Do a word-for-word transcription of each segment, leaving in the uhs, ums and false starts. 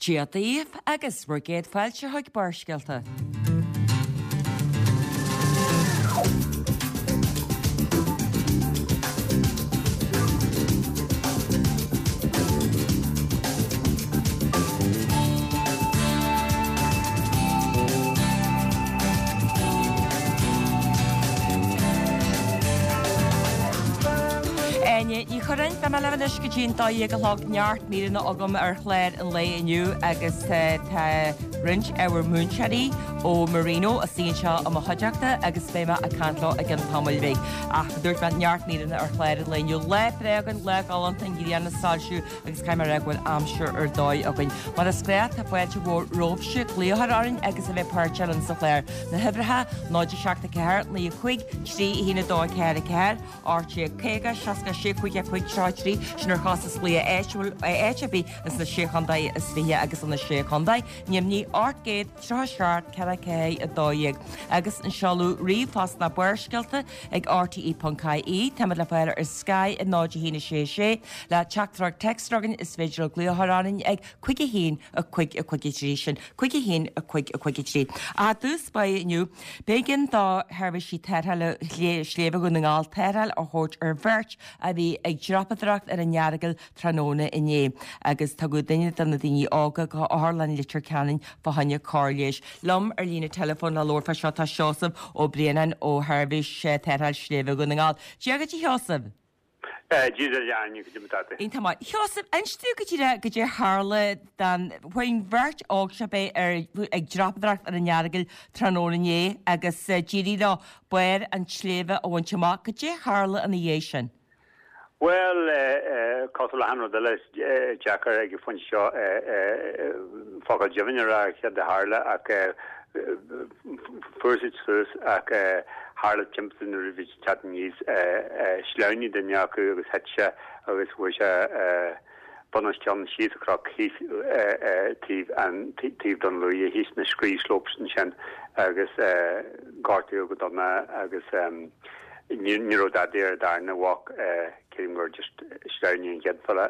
Dia daoibh agus bhur gcéad fáilte chuig Barrscéalta. Áine Ní Churráin, beidh mé libh anois go dtí an dó dhéag a chlog, neart míreanna agam ar chlár an lae inniu agus tá roinnt ábhar múinteoirí ó Marino istigh anseo i mo chuideachta agus beidh mé ag caint leo i gcionn tamaill bhig. Ach dúirt mé neart míreanna ar chlár an lae inniu. Lá breá againn, lá galánta, an ghrian ag soilsiú agus caithfidh mé a rá go bhfuil aimsir ar dóigh againn. Mar is gnách tá fáilte mhór romhaibhse glaoch a chur orainn agus a bheith páirteach linn sa chlár. Na huimhreacha, náid a seacht a ceathair, naoi a cúig, trí a haon a dó a ceathair a ceathair, ocht déag caoga, seasca sé, cúig a cúig, tríocha trí, sin ar chostas glaoch áitiúil, áit ar bith ins na Sé Chontae is Fiche agus sna Sé Chontae, neamhní ocht gcéad tríocha seacht ceithre ceathair a dó dhéag, agus an seoladh ríomhphost ná Barrscéalta ag rte ponc ie. Táimid le fáil ar Sky ag náid a haon a sé sé le teachtaireacht téacs againn is féidir libh glaoch a chur orainn ag cúig a haon a cúig a cúig a trí, sin cúig a haon a cúig a cúig a trí. Ach i dtús báire inniu, b'éigean do sheirbhísí tarrthála Shléibhe Dhún na nGall tarrtháil a thabhairt ar bheirt a bhí ag dreapadóireacht ar an Earagail tráthnóna inné agus tugadh duine de na daoine óga go Otharlann Leitir Ceanainn fá choinne cóir leighis. Liom ar líne teileafóin le labhairt fá seo tá Seosamh Ó Braonáin ó Sheirbhís Tarrtháil Sléibhe Dhún na nGall. Dia dhuit a Sheosaimh! Dia duit a Áine, goidé mar atá tú. Iontach maith. Sheosaimh, inis domh go díreach goidé a tharla don faoin bheirt óg seo bheith ar ag dreapadóireacht ar an Earagail tráthnóna inné agus d'éirigh leo barr an tsléibhe a bhaint amach. Goidé a tharla ina dhiaidh sin? Bhuel, cosúil le achan rud eile, is deacair ag an phointe seo focal deimhin a rá ar céard a tharla ach fuair siad suas ach tharla timpiste nuair a bhí siad ag teacht aníos, shleamhnaigh duine acu agus thit sé agus bhuail sé bun os cionn síos an cnoc thíos taobh an taobh Dún Lúiche thíos na scree slopes ansin agus gortaíodh go dona agus ní ní raibh dadaí ar an darna mhac creidim gur just shleamhnaigh an chéad fella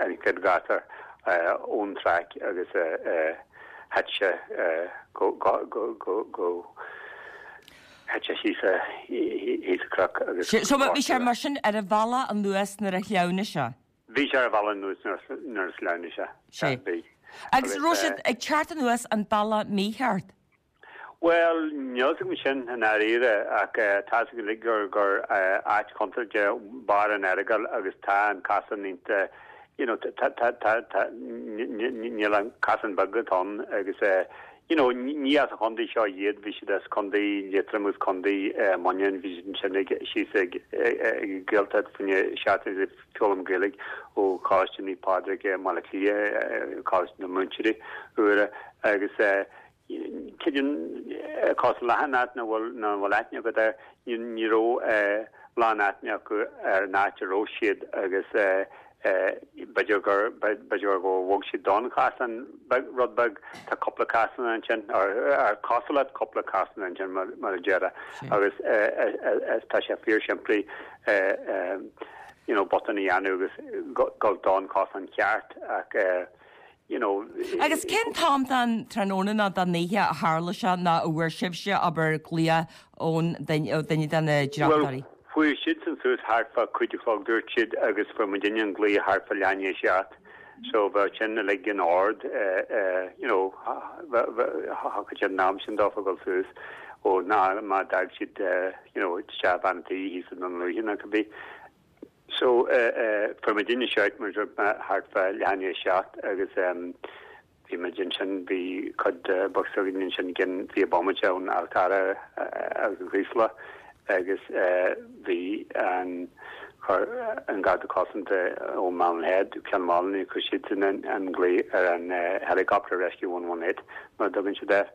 an chéad ghasúr ón traic agus thit sé go go go go go thit sé síos thíos an cnoc agus So bhí sé mar sin ar a bhealach anuas nuair a shleamhnaigh sé? Bhí sé ar a bhealach anuas nuair a shleamhnaigh sé. Sé. Bhí. Agus raibh siad ag teacht anuas an bealach mícheart? Bhuel, níl 'fhios agam sin i ndáiríre ach tá 'fhios againn uilig gur gur áit chontúirteach barr an Earagail agus tá an casán iontach you know tá tá tá tá níl an casán beag atá ann agus you know ní as an chontae seo iad, bhí siad as contae Liatroim agus contae Muineacháin, bhí siad ansin ag síos ag ag Gaeltacht fá choinne seachtain ag foghlaim Gaeilge ó Choláiste Naomh Pádraig i mBaile Átha Cliath, Coláiste na Múinteoirí úra agus creidim cosúil le achan áit nach bhfuil nach bhfuil aithne agat air, ní ní raibh lán aithne acu ar an áit a raibh siad agus b'fhéidir gur b'fhéidir gur bhog siad don chasán beag rud beag, tá cúpla casán ansin ar cosúil le cúpla casán ansin mar mar a déarfá agus tá sé fíor simplí you know botún a dhéanamh agus gabháil don chosán ceart ach you know. Agus cén t-am den tráthnóna nó den oíche a tharla sé nó a bhfuair sibhse abair glaoch ón duine de na dreapadóirí? Bhuel, fuair siadsan suas thart fá cúig a chlog dúirt siad agus fuair muidinne an glaoch thart fá leath i ndiaidh a seacht so bheadh sin uilig in ord you know thiocfadh siad an am sin dófa dul suas ó ná má d'fhág siad you know isteach bean an tí thíos i nDún Lúiche nó cibé. So fuair muidinne shout mar a dúirt mé thart fá leath i ndiaidh a seacht agus bhí muid ansin, bhí cuid de box againn ansin i gcionn fiche bomaite ón Fhál Carrach agus an Chraoslach agus bhí an chuir an Garda Cosanta ó Malin Head, Ceann Mhálanna, chuir siadsan an glao ar an helicopter Rescue one one eight mar a dtugann siad air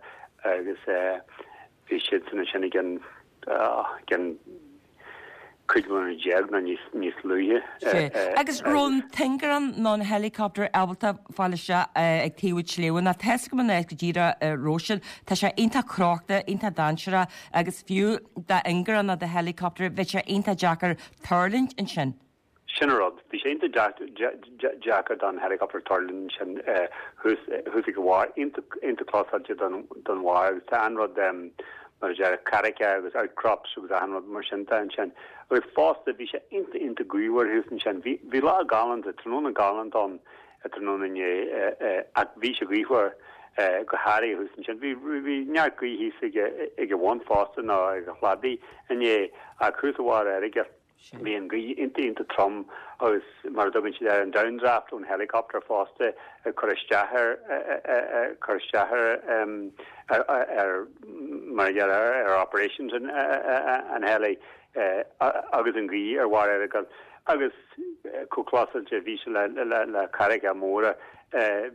agus Bhí siadsan ansin i gcionn, gcionn cúig nóiméad déag nó níos, níos luaithe. Sea. Agus raibh an t-ingearán nó an helicopter ábalta fáil isteach ag taobh an tsléibhe nó tá 'fhios agam an áit go díreach a raibh siad. Tá sé iontach crochta, iontach dainséarach agus fiú d'ingearán nó do helicopter bheadh sé iontach deacair tuirlingt ansin. Sin an rud. Bhí sé iontach deacair don helicopter tuirlingt ansin thuas ag a bharr, iontach closáilte don bharr agus tá an rud mar a deir carraigeacha agus outcrops agus achan rud mar sin de ansin. Agus fosta bhí sé iontach iontach gaothmhar thuas ansin. Bhí lá galánta, tráthnóna galánta ann tráthnóna inné ach bhí sé gaothmhar go háirithe thuas ansin. Bhí neart gaoth thíos ag a bhun fosta nó ag an chladaigh inné ach thuas ar bharr Earagail. Bhí an ghaoth iontach iontach trom agus mar a dtugann siad air an downdraft ón helicopter fosta ag cur isteach ar cur isteach ar ar mar a deir ar operations an an heli agus an ghaoth ar bharr Earagail agus chomh closáilte bhí sé le le le carraigeacha móra.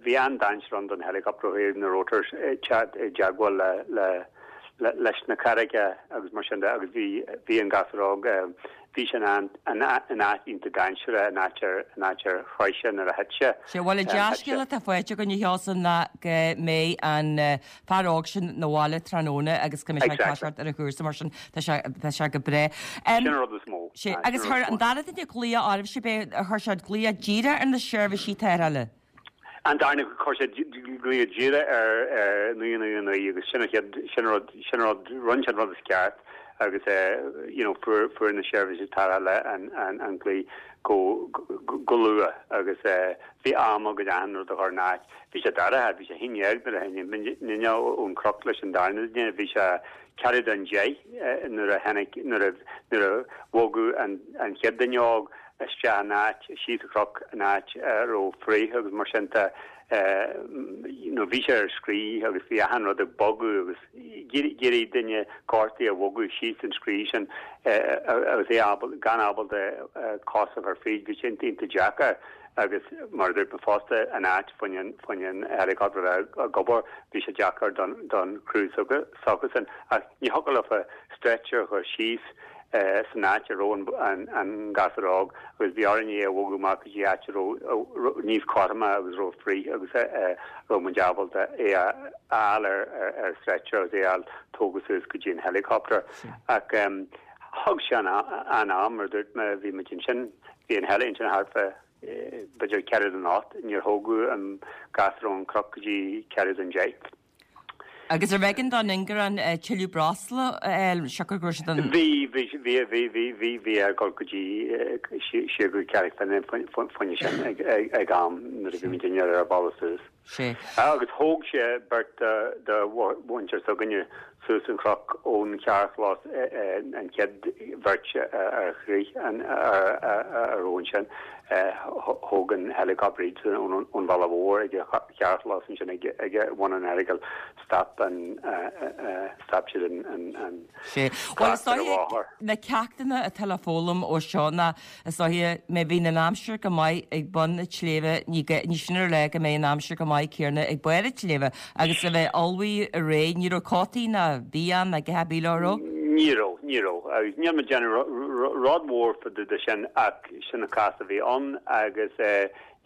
Bhí an-dainséar ann don helicopter ó thaobh na rotors i dteagmháil le le leis na carraigeacha agus mar sin de agus bhí bhí an gasúr óg bhí sé in in áit iontach dainséarach in áit ar in áit ar chroith sé nuair a thit sé. Sea, bhuel an dea-scéal atá faighte againn a Sheosaimh ná go mbeidh an fear óg sin 'na bhaile tráthnóna agus go mbeidh sé ag toiseacht ar a chúrsa mar sin tá sé tá sé go breá. Sin an rud is mó. Sea, agus chuir an dara duine glaoch oraibh sibh é chuir sé glaoch díreach ar na seirbhísí tarrthála? An darna chuir sé glaoch díreach ar ar naoi naoi naoi agus sin an chéad sin rud sin rud rinne sé an rud is ceart agus you know fuair fuair na seirbhísí tarrthála an an an glaoch go go luath agus bhí am againn achan rud a chur in áit. Bhí sé dorcha, bhí sé haon dhéag nuair a tháinig muidne ón chnoc leis an darna duine, bhí sé ceathrú don deich nuair a tháinig nuair a nuair a bhogadh an an chéad duine óg isteach in áit, síos an chnoc in áit a raibh fraoch agus mar sin de, you know bhí sé ar scrí agus bhí achan rud ag bogadh agus d'iarraidh duine gortaithe a bhogadh síos an scrí sin agus é ábal, gan ábalta cos a chur fríd, bhí sin iontach deacair agus mar a dúirt mé fosta an áit fá choinne an helicopter a bheith ag obair, bhí sé deacair don don chriú s'acusan ach ní thiocfadh leofa stretcher a chur síos san áit a raibh an gasúr óg agus bhí orainn é a bhogadh amach go dtí áit a raibh níos cothroime agus raibh fraoch agus a raibh muid ábalta é a fháil ar stretcher agus é a fháil tógtha suas go dtí an helicopter. Ach thug sé an-am, mar a dúirt mé, bhí muid ansin, bhí an heli ansin thart fá b'fhéidir ceathrú don ocht, níor thógadh an gasúr ón chnoc go dtí ceathrú don deich. Agus arbh éigean don ingearán tuilleadh breosla a fháil siocair go raibh siad an. Bhí, bhí, bhí, bhí, bhí, bhí, bhí ag dul go dtí siar go Carraig Finn fá choinne sin ag, ag, ag am nuair a bhí muidinne ar ár bealach suas. Sea. Agus thóg sé beirt de, de mhuintir s'againne suas an chnoc ón charrchlós an chéad bheirt ar chrith an, ar, ar, a raibh ansin. Thóg an helicopter iad ón bhealach mhór ag an charrchlós ansin ag bun an Earagail. Stop an stop siad an an Sea. Bhuel, is dóiche na ceachtanna atá le foghlaim ó seo ná is dóiche má bhíonn an aimsir go maith ag bun an tsléibhe ní ní sin a rá go mbeidh an aimsir go maith céanna ag barr an tsléibhe agus a bheith ullmhaithe réidh. Ní raibh cótaí ná bia ná a dhath ar bith leo, raibh? Ní raibh, ní raibh. Agus níl mé ag déanamh rud mór fá dtaobh de sin ach sin an cás a bhí ann agus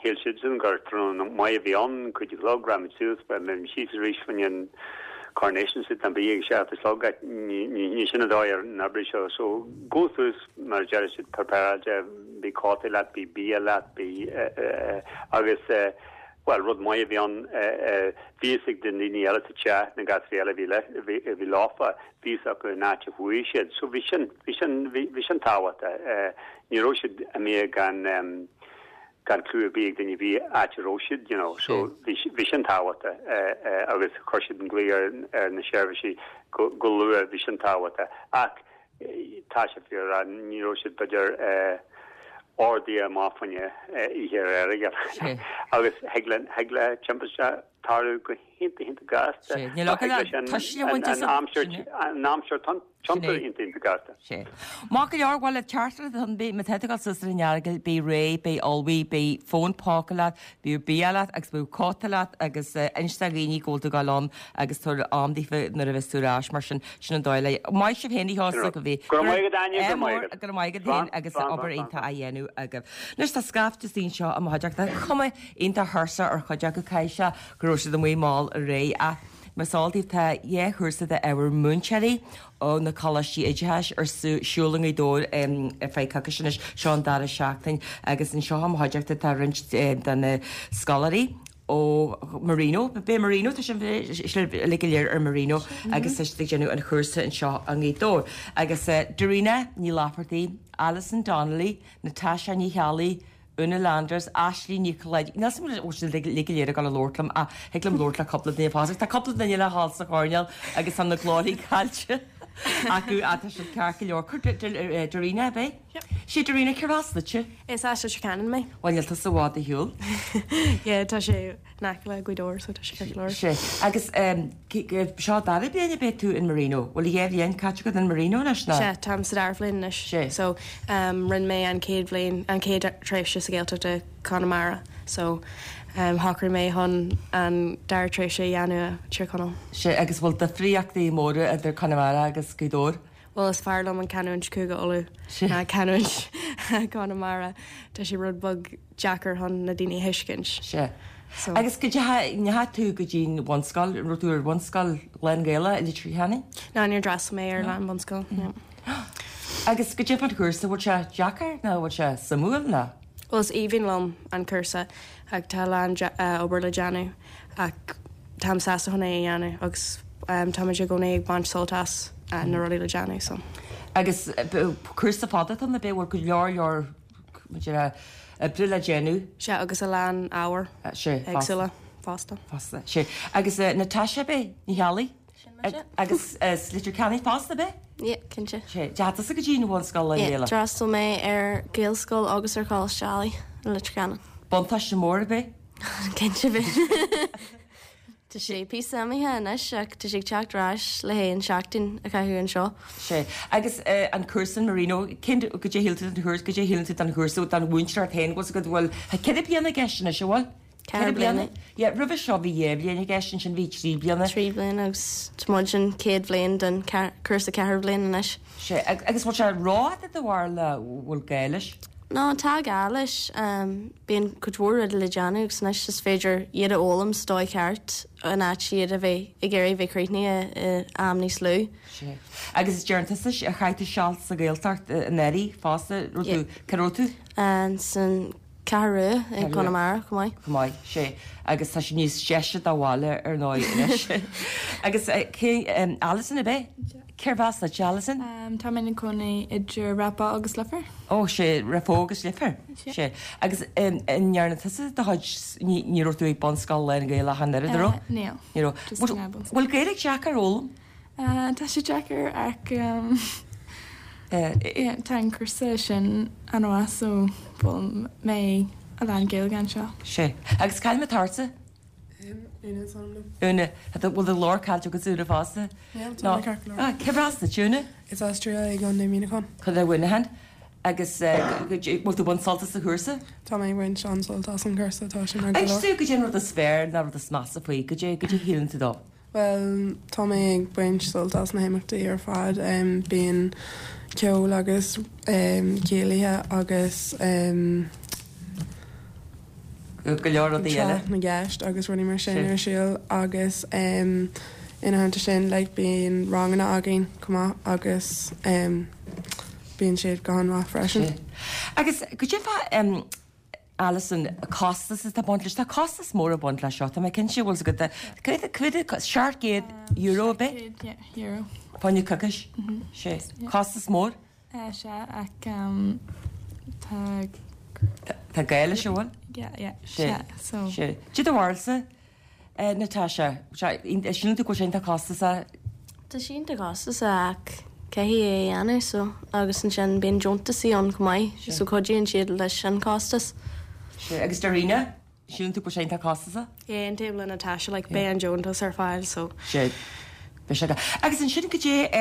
shíl siadsan gur tráthnóna maith a bhí ann, cúig a chlog, rachaidh muid suas, beidh muid síos arís fá choinne an Coronation Street nó bí ag a seacht a chlog ach ní sin an dóigh ar n-oibrigh seo. So gabh suas mar a deir siad prepare-áilte, bí cótaí leat, bí bia leat, bí agus bhuel rud maith a bhí ann bhí fhios ag na daoine eile sa teach, na gasúraí eile a bhí le, a bhí leofa, bhí fhios acu an áit a chuaigh siad. So bhí sin, bhí sin, bhí sin tábhachtach. Ní raibh siad imithe gan gan clue ar bith ag duine ar bith áit a raibh siad, you know. So bhí, bhí sin tábhachtach agus chuir siad an glao ar, ar na seirbhísí go, go luath, bhí sin tábhachtach. Ach tá sé fíor, ní raibh siad b'fhéidir ordaithe amach fá choinne oíche ar Earagail. Agus thig le, thig le timpiste tarlú go hiontach, iontach gasta. Níl Thig leis an, an, an aimsir, an aimsir tiontú iontach, iontach gasta. Sea. Maith go leor, bhuel, teachtaireacht atá ann, má tá tú ag dul suas ar an Earagail, bí réidh, bí ullmhaithe, bí fón póca leat, bíodh bia leat agus bíodh cóta leat agus inis do dhaoine go bhfuil tú ag dul ann agus tabhair am daofa nuair a bheas tú ar ais mar sin, sin an dóigh le. Maith sibh féin a Sheosaimh go bhí. Go raibh maith agat Áine, go raibh maith agat. Go raibh maith agat féin agus obair iontach á dhéanamh agaibh. Anois tá scaifte istigh anseo i mo chuideachta, cuma iontach thuirseach ar chuid acu, caithfidh sé go raibh siad amuigh mall aréir ach Mar is eol daoibh tá dhá chúrsa d'ábhar múinteoirí ó na coláistí oideachais ar siúl i nGaoth Dobhair ar feadh coicíse anois, seo an dara seachtain agus anseo i mo chuideachta tá roinnt de na scoláirí ó Marino, b'é Marino, tá sibh uilig go léir ar Marino agus tá siad ag déanamh an chúrsa anseo i nGaoth Dobhair. Agus Darina Ní Laifeartaigh, Alison Donnelly, Natasha Ní Cheallaigh, Una Landers, Ashley Ní Cholláide, níl 's agam an bhfuil siad uilig go léir ag dul a labhairt liom ach thig liom labhairt le cúpla duine fosta. Tá cúpla duine le dhul sa choirnéal agus tá na glórthaí caillte acu ach tá siad ceart go leor. Cuir Darina, ab é? Sé Darina, cérbh as duitse? Is as Leitir Ceanainn mé. Bhuel níl tusa i bhfad ar shiúl. Yeah, tá sé in aice le Gaoth Dobhair so tá sé ceart go leor. Sé. Agus seo dara bliain ab é tú in Marino? Bhfuil dhá bhliain caite agat in Marino anois nó? Sea, táim sa dara bhliain anois. Sé. So um, rinne mé an chéad bhliain, an chéad tréimhse sa Ghaeltacht i Conamara. So um, shocraigh mé chun an dara tréimhse a dhéanamh i Tír Chonaill. Sé, agus bhfuil difríochtaí móra idir Conamara agus Gaoth Dobhair? Bhuel is fearr liom an canúint Cúige Uladh Sé. ná canúint Conamara. Tá sé rud beag deacair chun na daoine a thuiscint. Sé. So- Agus go ndeachaigh tú go dtí an bhunscoil, an raibh tú ar bhunscoil lán-Ghaelach i Leitir Ceanainn? Ná níor d'fhreastail mé ar an bhunscoil. No. Agus goidé fán chúrsa, bhfuil sé deacair nó bhfuil sé suimiúil nó? Well is aoibhinn liom an cúrsa ach tá a lán uh, obair le déanamh ach táim sásta chun é a dhéanamh agus um, táimid i gcónaí ag baint sult as uh, na rudaí le déanamh so. Agus eh, b- cúrsa fada tá na bé bhfuil go leor leor maidir oibre le déanamh Sé agus a lán ábhar Eh, sé éagsúla fosta. Fosta sé agus uh, Natasha bé Ní Cheallaigh mise. agus uh, Leitir Ceanainn fosta bé Yeah, cinnte. sé deata go dtí an bhunscoil le Yeah, Gaeilge. D'fhreastail mé ar Gaelscoil agus ar Choláiste Ailigh i Leitir Ceanainn. Buntáiste mór bé Cinnte bhí. Tá sé píosa imithe anois ach tá sé ag teacht ar ais le haghaidh an seachtain a chaitheamh anseo. sé agus uh, an cúrsa Marino cén goidé shíl tú an chúrsa goidé shíl tú an chúrsa don mhúinteoir féin go go bhfuil ceithre bliana i gceist anois bhfuil? Ceithre bliana. Ja, roimhe seo bhí dhá bhliain i gceist sin bhí trí bliana. Trí bliana agus tá muid an chéad bhliain den cúrsa ceithre bliana anois. Sé agus bhfuil sé rófhada do bharr le bhfuil gá leis? No tá gá leis um, bíonn cuid mhór rudaí le déanamh agus anois is féidir iad a fhoghlaim sa dóigh ceart in áit iad a bheith ag iarraidh bheith críochnaithe i am níos lú. Sé. Agus is deir tusa a chaith tú seal sa Ghaeltacht in Éirí fosta Yeah. cá raibh tú An san Ceathrú Rua i Ceathrú Rua. Conamara chomh maith. Chomh maith sé agus tá sé níos deise dá bhaile ar ndóigh anois. Agus eh, cé um, Alison a bé? Cérbh as duit Alison? Um, tá mé i mo chónaí idir Rappa agus Leifear. Ó sé Raphoe agus Leifear Sé. sé agus um, ndearna tusa do chuid ní ní raibh tú ag bunscoil lán-Ghaelach an oiread raibh? Níl. Ní raibh. Just Bhfuil an bunscoil. bhfuil Gaeilge deacair a fhoghlaim? Uh, tá sé deacair ach um, Eh, yeah, tá an cúrsa sin an-mhaith so bhfuil mé a lán Gaeilge anseo. Sé. Agus cad é tarsa? Úna is ainm liom. Úna bhfuil do ghlór caillte agus Úna fosta? Yeah, tá mé ceart go leor. Ah, cérb as duit Úna? Is as Tralee i gContae Mhuineacháin. Chun Mhuineacháin agus eh, bhfuil tú ag baint sult as an chúrsa? Tá mé ag baint an-sult as an gcúrsa tá sin Agus go tú goidé an rud is fearr ná rud is measa faoi, goidé goidé shíleann tú dó. Well tá mé ag baint sult as na himeachtaí ar fad um, bíonn ceol agus um, céilithe agus um, Go leor rudaí eile. tráth na gceist agus rudaí mar sin Sin. ar siúl agus um, ina theannta sin like, bíonn ranganna againn chomh maith agus um, bíonn siad go han-mhaith freisin. Sé. Agus goidé fá um, Alison costas atá ag baint leis tá costas mór ag baint leis seo Tá mé cinnte bhfuil go cuid seacht gcéad euro bé Yeah, euro. fá choinne coicís sé costas mór Uh, sé ach um, tá Tá gá leis an bhfuil yeah, yeah, Sé. sé so sé. Cad é do bharúilsa Natasha síleann tú go sé tá costas a Tá sé iontach costasach ach caithfidh é a dhéanamh so agus ansin bíonn deontaisí ann chomh maith so cuidíonn siad leis an costas. sé agus Darina síleann tú go sé tá costasach Yeah, an taobh le Natasha like beidh an deontas ar fáil so sé Be sé Agus ansin goidé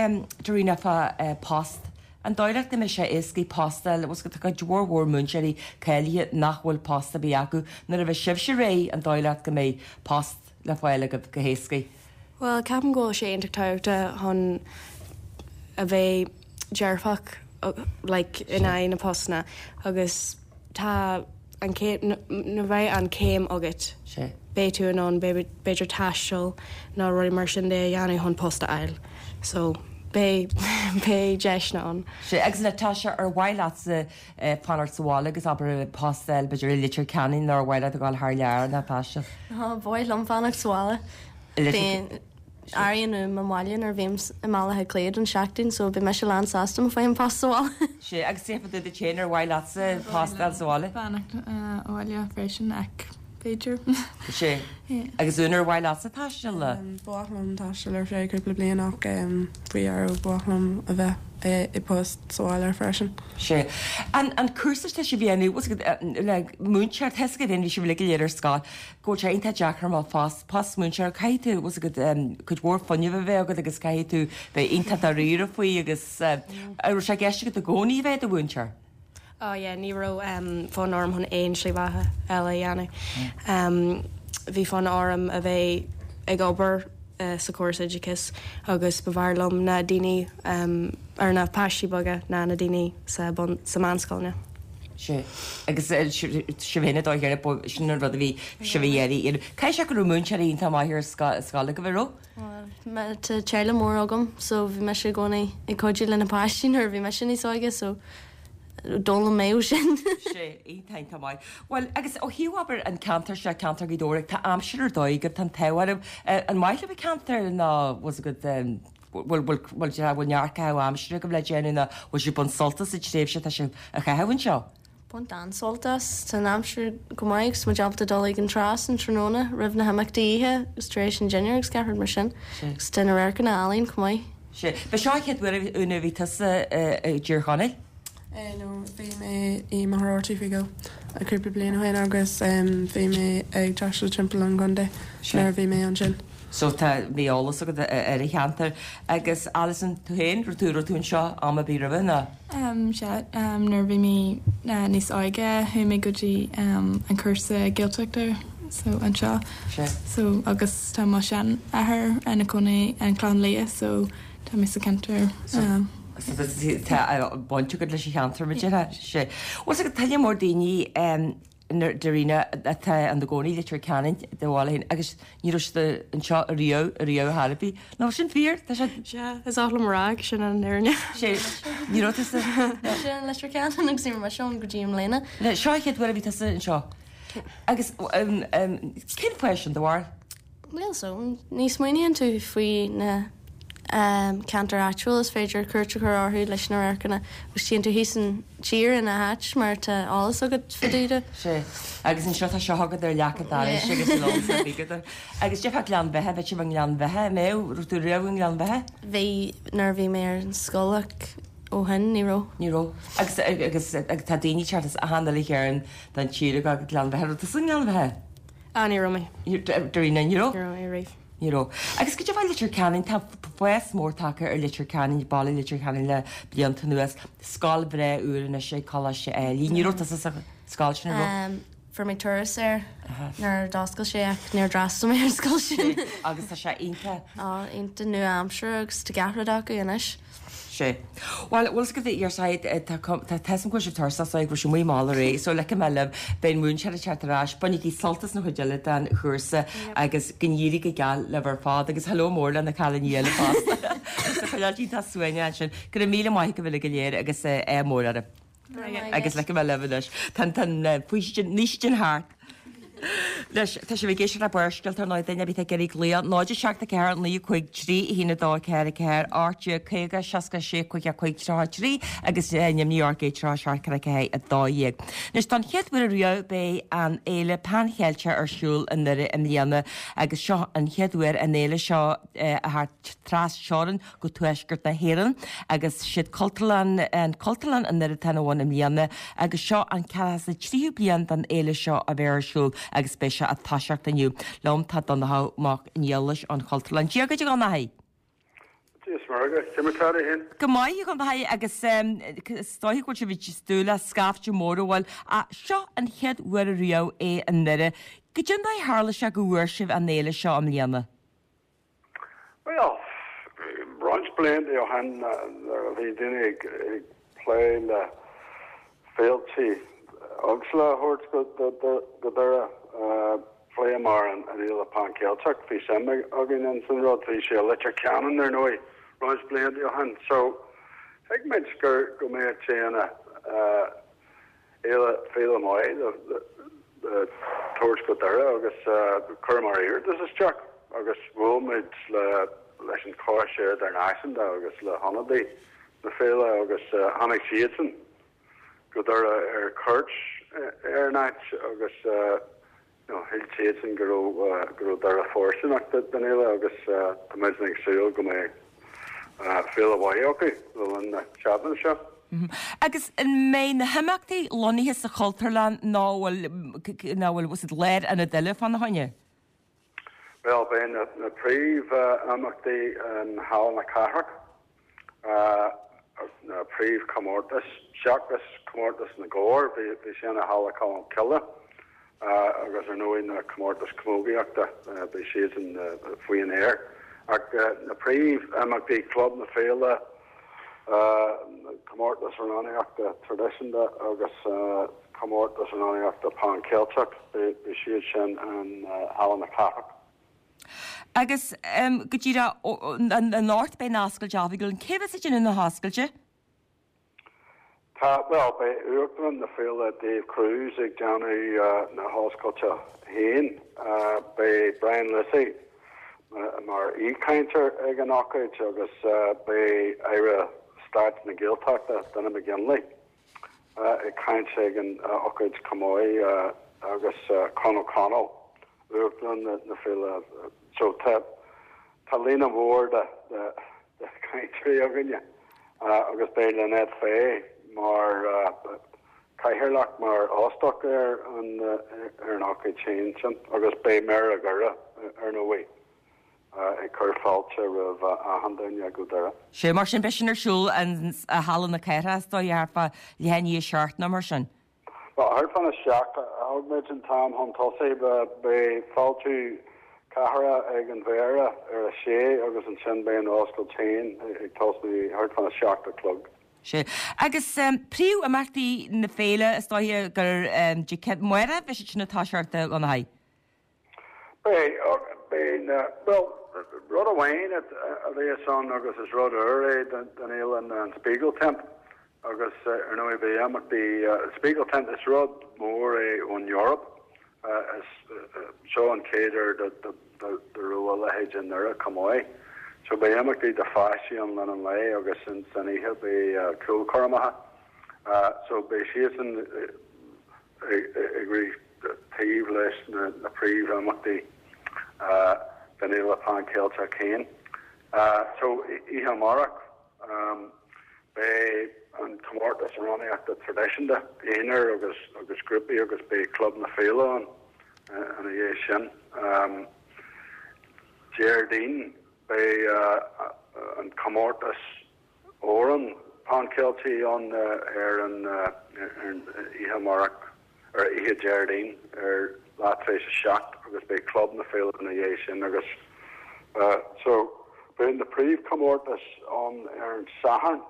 Darina fá eh, post. An dóigh leat go mbeidh sé éasca post a fháil go tá mhór mhór múinteoirí cáilithe nach bhfuil post ar bith acu nuair a bheidh sibhse réidh an dóigh leat go mbeidh post le fáil go go héasca. Well ceapaim go bhfuil sé iontach tábhachtach chun a bheith dearfach uh, like in aghaidh na postanna agus tá an céim na bheith an céim agat sé. beidh tú in ann b'fhéidir taisteal nó rudaí mar sin de a dhéanamh chun post a fháil. So beidh beidh deiseanna ann. Sea, agus Natasha, ar mhaith leatsa fanacht sa bhaile agus abair post a fháil b'fhéidir i Leitir Ceanainn nó ar mhaith leat a ghabháil thar lear Natasha? Ba mhaith liom fanacht sa bhaile. Leitir Airím uaim an baile nuair a bhím i mBaile Átha Cliath don seachtain so beidh mise lán sásta má fhaighim post sa bhaile. Sea, agus cé fá dtaobh duit féin ar mhaith leatsa post a fháil sa bhaile? Fanacht abhaile freisin ach b'fhéidir. Sea. Agus Úna, ar mhaith leatsa taisteal? Ba mhaith liom taisteal ar feadh cúpla bliain ach faoi dheireadh ba mhaith liom a bheith i bpost sa bhaile freisin. Sea. An an cúrsa atá sibh a dhéanamh, bhfuil a fhios agat, le múinteoir, tá a fhios agat féin, bhí sibh uilig go léir ar scoil, go bhfuil sé iontach deacair mar phost, post múinteoir, caithfidh tú, bhfuil a fhios agat, cuid mhór fuinnimh a bheith agat agus caithfidh tú bheith iontach dáiríre faoi agus an raibh sé i gceist agat i gcónaí a bheith i do mhúinteoir? Oh yeah, ní raibh fonn orm chun aon slí bheatha eile a dhéanamh. Bhí fonn orm a bheith ag obair sa chóras oideachais agus ba bhfearr liom na daoine ar na páistí beaga ná na daoine sa bun sa meánscoileanna. Sea. Agus sibh féin ag dul thiar, sin an rud a bhí sibh a iarraidh. Caithfidh sé go raibh múinteoirí iontach maith ar scoil agaibh, an raibh? Tá teaghlach mór agam so bhí mise i gcónaí ag cuidiú le na páistí nuair a bhí mise níos óige so d'fhoghlaim mé ó sin. Sea, iontach, iontach maith. Bhuel, agus ó thaobh, abair, an ceantar seo, ceantar Ghaoth Dobhair, tá aimsir ar dóigh agaibh, tá an t-ádh oraibh. An maith libh an ceantar nó bhfuil a fhios agat, bhfuil, bhfuil, bhfuil, bhfuil neart caitheamh aimsire agaibh le déanamh nó bhfuil sibh ag baint sult as an tréimhse atá sibh a chaitheamh anseo? Baint an-sult as. Tá an aimsir go maith agus muid ábalta dul ag an trá san tráthnóna roimh na himeachtaí oíche agus tar éis an dinnéar agus gach rud mar sin. Agus tá na radharcanna álainn chomh maith. Sea. Ba seo an chéad uair, a Úna, a bhí tusa i dTír Chonaill? No, bhí mé i Machaire Rabhartaigh faoi dhó cúpla bliain ó shin agus bhí mé ag taisteal timpeall an chontae nuair a bhí mé ansin. So tá bhí eolas agat ar an cheantar. Agus Alison, tú féin, raibh tú, raibh tú anseo am ar bith roimhe nó? Sea, nuair a bhí mé níos óige chuaigh mé go dtí an cúrsa Gaeltachta so anseo. Sea. So agus tá mo sheanathair ina chónaí an Clochán Liath so tá mé sa cheantar. So tá baint agat leis an cheantar, mar a déarfá. Sea. Bhuel, tá tuilleadh mór daoine dáiríre atá ina gcónaí i Leitir Ceanainn do bhaile féin agus ní raibh siad anseo ariamh, ariamh ar chor ar bith. Nach bhfuil sin fíor? Tá sé. Sea, is oth liom a rá ach sin an fhírinne. Sea, ní raibh tusa. Mise i Leitir Ceanainn agus ní raibh mise ann go dtí i mbliana. Seo an chéad uair a bhí tusa anseo. Agus cén fáth sin, do bharúil? Bhuel so, ní smaoiníonn tú faoi na ceantair áitiúil is féidir cuairt a chur orthu leis na radharcanna agus téann tú thíos an tír ina háit mar tá eolas agat fá dtaobh de. Sea, agus anseo tá seo agat ar leac an dorais agus an eolas ar bith agat. Agus déarfá Gleann Bheatha, bheadh sibh i nGleann Bheatha, an mbeadh, raibh tú riamh i nGleann Bheatha? Bhí, nuair a bhí mé ar an scoil ach ó shin ní raibh. Ní raibh. Agus, agus, agus tá daoine ag teacht as achan uile chearn den tír ag dul go Gleann Bheatha, raibh tusa i nGleann Bheatha? Ah, ní raibh mé. Dáiríre, ní raibh? Ní raibh mé riamh. Ní raibh. Agus cad é fá Leitir Ceanainn, tá fás mór tagtha ar Leitir Ceanainn, baile Leitir Ceanainn le blianta anuas. Scoil bhreá úr anois ag Coláiste Ailigh. Ní raibh tusa sa scoil sin, an raibh? Fuair mé turas air nuair a d'oscail sé ach níor d'fhreastail mé ar an scoil sin. Agus tá sé iontach. Á, iontach nua-aimseartha agus tá gach rud acu anois. Sea. Bhuel, bhfuil 's agat ar side, tá tá tá 's agam go bhfuil sibh tuirseach so go bhfuil sibh amuigh mall aréir, so ligfidh mé libh, beidh an múinteoir ag teacht ar ais, bainigí sult as an chuid eile den chúrsa agus go n-éirí go geal libh ar fad agus hello mór le na cailíní eile fosta. Tá chuile áit iontach suaimhneach ansin. Go raibh míle maith agaibh uilig go léir agus ádh mór oraibh. Agus ligfidh mé libh anois. Tá an tá an faoistin, naoistin thart. Anois, tá sibh ag éisteacht le Barrscéalta ar ndóigh, duine ar bith atá ag iarraidh glaoch, náid a seacht a ceathair naoi a cúig trí a haon a dó a ceathair a ceathair ocht déag caoga seasca a sé caoga a cúig tríocha a trí agus Nimhní R G tríocha seacht ceathair ceathair a dó dhéag. Anois, don chéad uair ariamh beidh an fhéile Pan Cheilteach ar siúl i nDoire i mbliana agus seo an chéad uair an fhéile seo a theacht tras-teorann go tuaisceart na hÉireann agus siad Cultúrlann an Cultúrlann i nDoire atá ina bhun i mbliana agus seo an ceathracha is a tríú bliain don fhéile seo a bheith ar siúl agus beidh sé ag toiseacht inniu. Liom tá Donnchadh Mac Niallais ón Chultúrlann. Dia dhuit a Dhonnchaidh! Dia is Muire dhuit, cé mar atá tú fhéin? Go maith a Dhonnchaidh agus is dóiche go bhfuil sibh ag dúil le scaifte mór a bhfuil ach seo an chéad uair ariamh é i nDoire. Goidé an dóigh a tharla sé go bhfuair sibh an fhéile seo i mbliana? Bhuel, roinnt blianta ó shin nuair a bhí daoine ag plé le féilte éagsúla a thabhairt go Doire, phléamar an Fhéile Pan Cheilteach, bhí suim againn in san rud, bhí sé i Leitir Ceanainn ar ndóigh roinnt blianta ó shin. So thuig muid gur go mbeadh sé ina fhéile féile maith le le tabhairt go Doire agus chuireamar iarratas isteach agus bhuail muid le leis an Choiste Idirnáisiúnta agus le hionadaí na féile agus tháinig siadsan go Doire ar cuairt ar an áit agus shíl siadsan go raibh go raibh Doire fóirsteanach don fhéile agus tá muid ag súil go mbeidh féile mhaith acu le linn na seachtaine seo. Agus an mbeidh na himeachtaí lonnaithe sa Chultúrlann nó bhfuil nó bhfuil siad lárionad eile fána choinne? Bhuel, beidh na na príomh-imeachtaí in Halla na Cathrach, na príomhchomórtais, seachas comórtas na gcór, bhí sin i Halla Cholmcille, agus ar ndóigh na comórtais camógaíochta, beidh siadsan faoin aer. Ach na príomh-imeachtaí, Club na Féile, comórtas amhránaíochta traidisiúnta agus comórtas amhránaíochta Pan Cheilteach, beidh siad sin in Halla na Cathrach. Agus go díreach anocht beidh an oscailt oifigiúil, cé bheas ag déanamh na hoscailte? Tá, bhuel, beidh Uachtarán na Féile Dave Cruise ag déanamh na hoscailte féin. Beidh Brian Lucey mar aoichainteoir ag an ócáid agus beidh Aire Stáit na Gaeltachta, Donie McGinley, ag caint ag an ócáid chomh maith agus Con O'Connell, Uachtarán na Féile. So tá tá líne mhór de de chainteoirí againne agus beidh Lynette Fay mar cathaoirleach, mar óstach ar an ar an ócáid féin sin agus beidh Méara Dhoire ar ndóigh ag cur fáilte roimh achan duine go Doire. Sea, mar sin beidh sin ar siúl in Halla na Cathrach is dóigh thart fá leath i ndiaidh a seacht nó mar sin. Bhuel, thart fána seacht a thug muid an t-am chun tosaigh. Beidh fáiltiú cathrach ag an Mhéara ar a sé agus ansin beidh an oscailt féin ag tosnú thart fána seacht a chlog. Sea. Agus príomhimeachtaí na féile is dóiche gur Dé Céadaoin, amárach a bheidh siad sin ag toiseacht a Dhonnchaidh? Beidh, beidh na, bhuel, rud amháin a bheas ann agus is rud úr é don fhéile ná an Spiegeltent. Agus ar ndóigh beidh imeachtaí Spiegeltent, is rud mór é ón Eoraip, is seo an chéad uair do raibh a leithéid i nDoire chomh maith. So beidh imeachtaí do pháistí ann le linn an lae agus san oíche beidh ceolchoirmeacha. So beidh siadsan ag rith taobh leis na príomhimeachtaí den Fhéile Pan Cheilteach féin. So oíche amárach. Beidh an comórtas amhránaíochta traidisiúnta, aonair agus agus grúpaí agus beidh Club na Féile ann ina dhiaidh sin. Déardaoin beidh an comórtas amhrán Pan Cheilteach ann ar an oíche amárach, ar oíche Déardaoin ar leath tar éis a seacht agus beidh Club na Féile ina dhiaidh sin agus so beidh na príomhchomórtais ann ar an Satharn,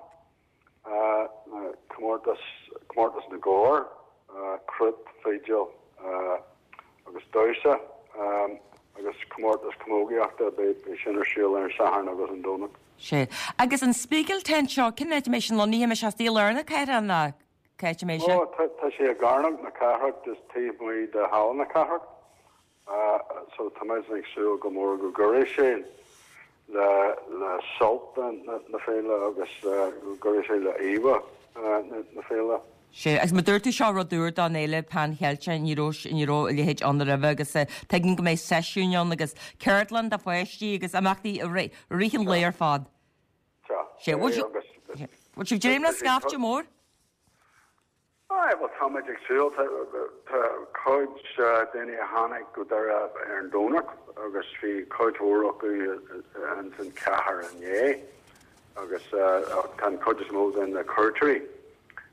na comórtas, comórtas na gcór, cruit, fidil agus damhsa agus comórtas camógaíochta, beidh sin ar siúl ar an Satharn agus an Domhnach. Sea. Agus an Spiegeltent seo, cén áit a mbeidh sin lonnaithe? An mbeidh sé istigh i lár na cathrach nó cá háit a mbeidh sé? Ó, tá sé i gCearnóg na Cathrach, just taobh amuigh de Halla na Cathrach. So tá muid ag súil go mór go gcuirfidh sé le le sult na féile agus go gcuirfidh sé le íomhá na féile. Sea, agus mar dúirt tú seo rud úr don fhéile Pan Cheilteach, ní raibh ní raibh a leithéid ann roimhe agus tuigim go mbeidh seisiúin ann agus ceardlann do pháistí agus imeachtaí i rith an lae ar fad. Sea. Sea, bhfuil bhfuil sibh ag dréim le scaifte mór? Aye, bhuel táimid ag súil. Tá cuid daoine a tháinig go Doire ar an Domhnach agus bhí cuid mhór acu ins an chathair inné agus tá an chuid is mó de na cuairteoirí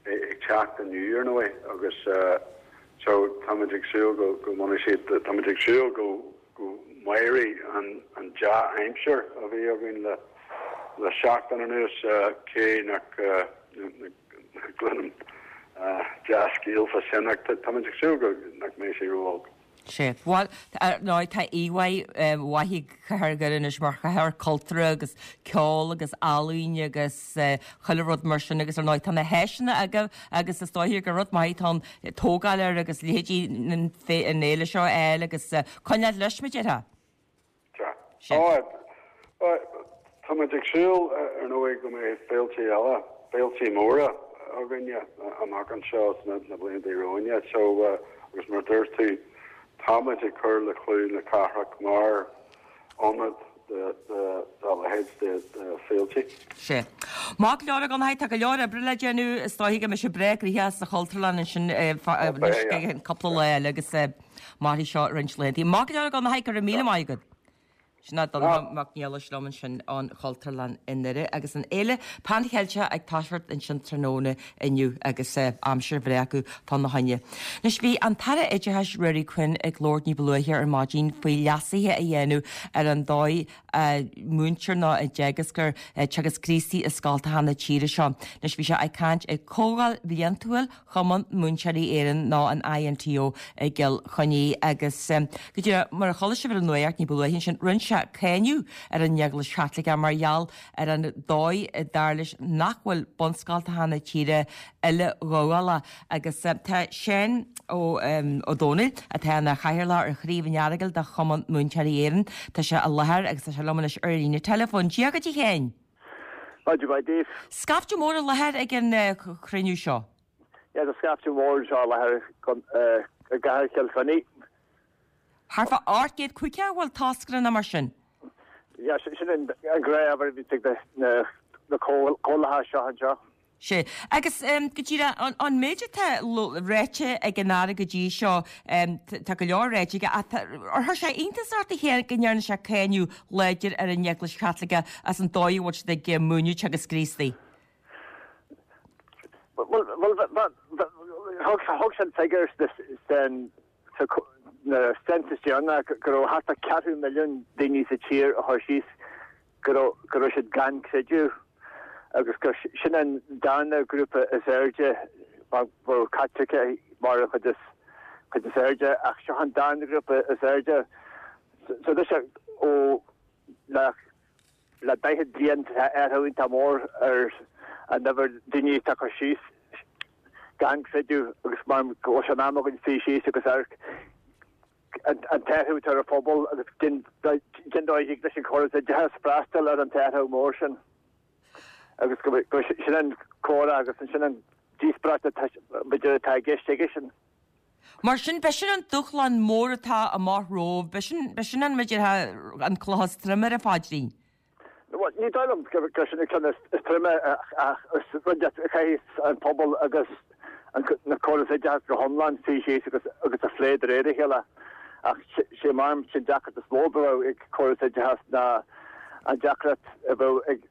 ag teacht inniu ar ndóigh agus so táimid ag súil go go mbainfidh siad, táimid ag súil go go mairfidh an dea-aimsir a bhí againn le le seachtain anuas cé nach gcluinim dea-scéal fá sin ach táimid ag súil go nach mbeidh sé ró-olc. Sé Bhuel ná tá íomhá mhaith ag Cathair Dhoire anois mar chathair cultúrtha agus ceol agus ealaín agus chuile rud mar sin agus ar ndóigh tá na háiseanna agaibh agus is dóigh gur rud maith atá ann tógáil air agus leithéidí an fhéile seo a fháil agus coinneáil leis mar a déarfá. Sea. Ó, táimid ag súil ar ndóigh go mbeidh féilte eile, féilte móra againne amach anseo sna na blianta romhainne. So agus mar a dúirt tú, táimid ag cur le clú na cathrach mar ionad dá leithéid de féilte. Sea. Maith go leor a Dhonnchaidh, tá go leor oibre le déanamh, is dóigh go mbeidh sibh breá gnoitheach sa Chultúrlann ansin anois go cúpla lá eile agus mairfidh seo roinnt laethanta. Maith go leor a Dhonnchaidh, go raibh míle maith agat. Sin é Donnchadh Mac Niallais liom ansin ón Chultúrlann i nDoire agus an Fhéile Pan Cheilteach ag toiseacht ansin tráthnóna inniu agus aimsir bhreá acu fána choinne. Anois bhí an tAire Oideachais Ruairí Quinn ag labhairt ní ba luaithe ar maidin faoi leasuithe a dhéanamh ar an dóigh a múintear nó a dteagasctar Teagasc Críostaí i scoltacha na tíre seo. Anois bhí sé ag caint ag Comhdháil Bhliantúil Chumann Múinteoirí Éireann nó an INTO i gCill Chainnigh agus go díreach mar a chuala sibh ar an nuacht ní ba luaithe ansin rinne sé cáineadh ar an Eaglais Chaitliceach mar gheall ar an dóigh dar leis nach bhfuil bunscoltacha na tíre uileghabhálach agus tá Seán Ó Ó Domhnaill atá ina chathaoirleach ar Chraobh an Earagail de Chumann Múinteoirí Éireann tá sé i láthair agus tá sé liom anois ar líne teileafóin. Dia dhuit a Sheáin. Maidin mhaith daoibh. Scaifte mór i láthair ag an chruinniú seo. Yeah, tá scaifte mór anseo i láthair i gcathair Chill Chainnigh. Thart fá ocht gcéad caoga an bhfuil toscaire nó mar sin? Yeah, sin an gnáth-uimhir a bhíonns ag na comhdhálacha seo anseo. Sea. Agus go díreach, an méid atá ráite ag an Aire go dtí seo, tá go leor ráite aige, ach ar chuir sé iontas ort a Sheáin go ndearna sé cáineadh láidir ar an Eaglais Chaitliceach as an dóigh a bhfuil siad ag múineadh Teagasc Críostaí? Bhuel, thug sé an figiúr sna census deireanach go raibh thart ar ceathrú milliún daoine sa tír a chuir síos go raibh siad gan creideamh agus gur sin an darna grúpa is airde, bheadh Caitlicigh mar an chuid is airde ach seo an darna grúpa is airde. So tá sé ó le Le daichead bliain tá athrú iontach mór ar an uimhir daoine atá ag cur síos gan creideamh agus mar go bhfuil sé in am againn suí síos agus amharc an t-athrú atá ar an phobal agus cén dóigh a thig leis an chóras oideachais freastal ar an t-athrú mór sin agus go sin an comhrá agus sin an díospóireacht atá b'fhéidir atá i gceist aige sin. Mar sin, b'shin an dúshlán mór atá amach romhaibh, b'shin, b'shin an, mar a déarfá, an cloch is troime ar an phaidrín. Bhuel, ní dóigh liom gur sin an ceann is troime ach is rud a chaithfidh an pobal agus na córas oideachais go hiomlán suí síos agus agus a phlé de réir a chéile. Ach sé mar sin deacracht is mó a bheadh ag córas oideachais ná an deacracht a bheadh ag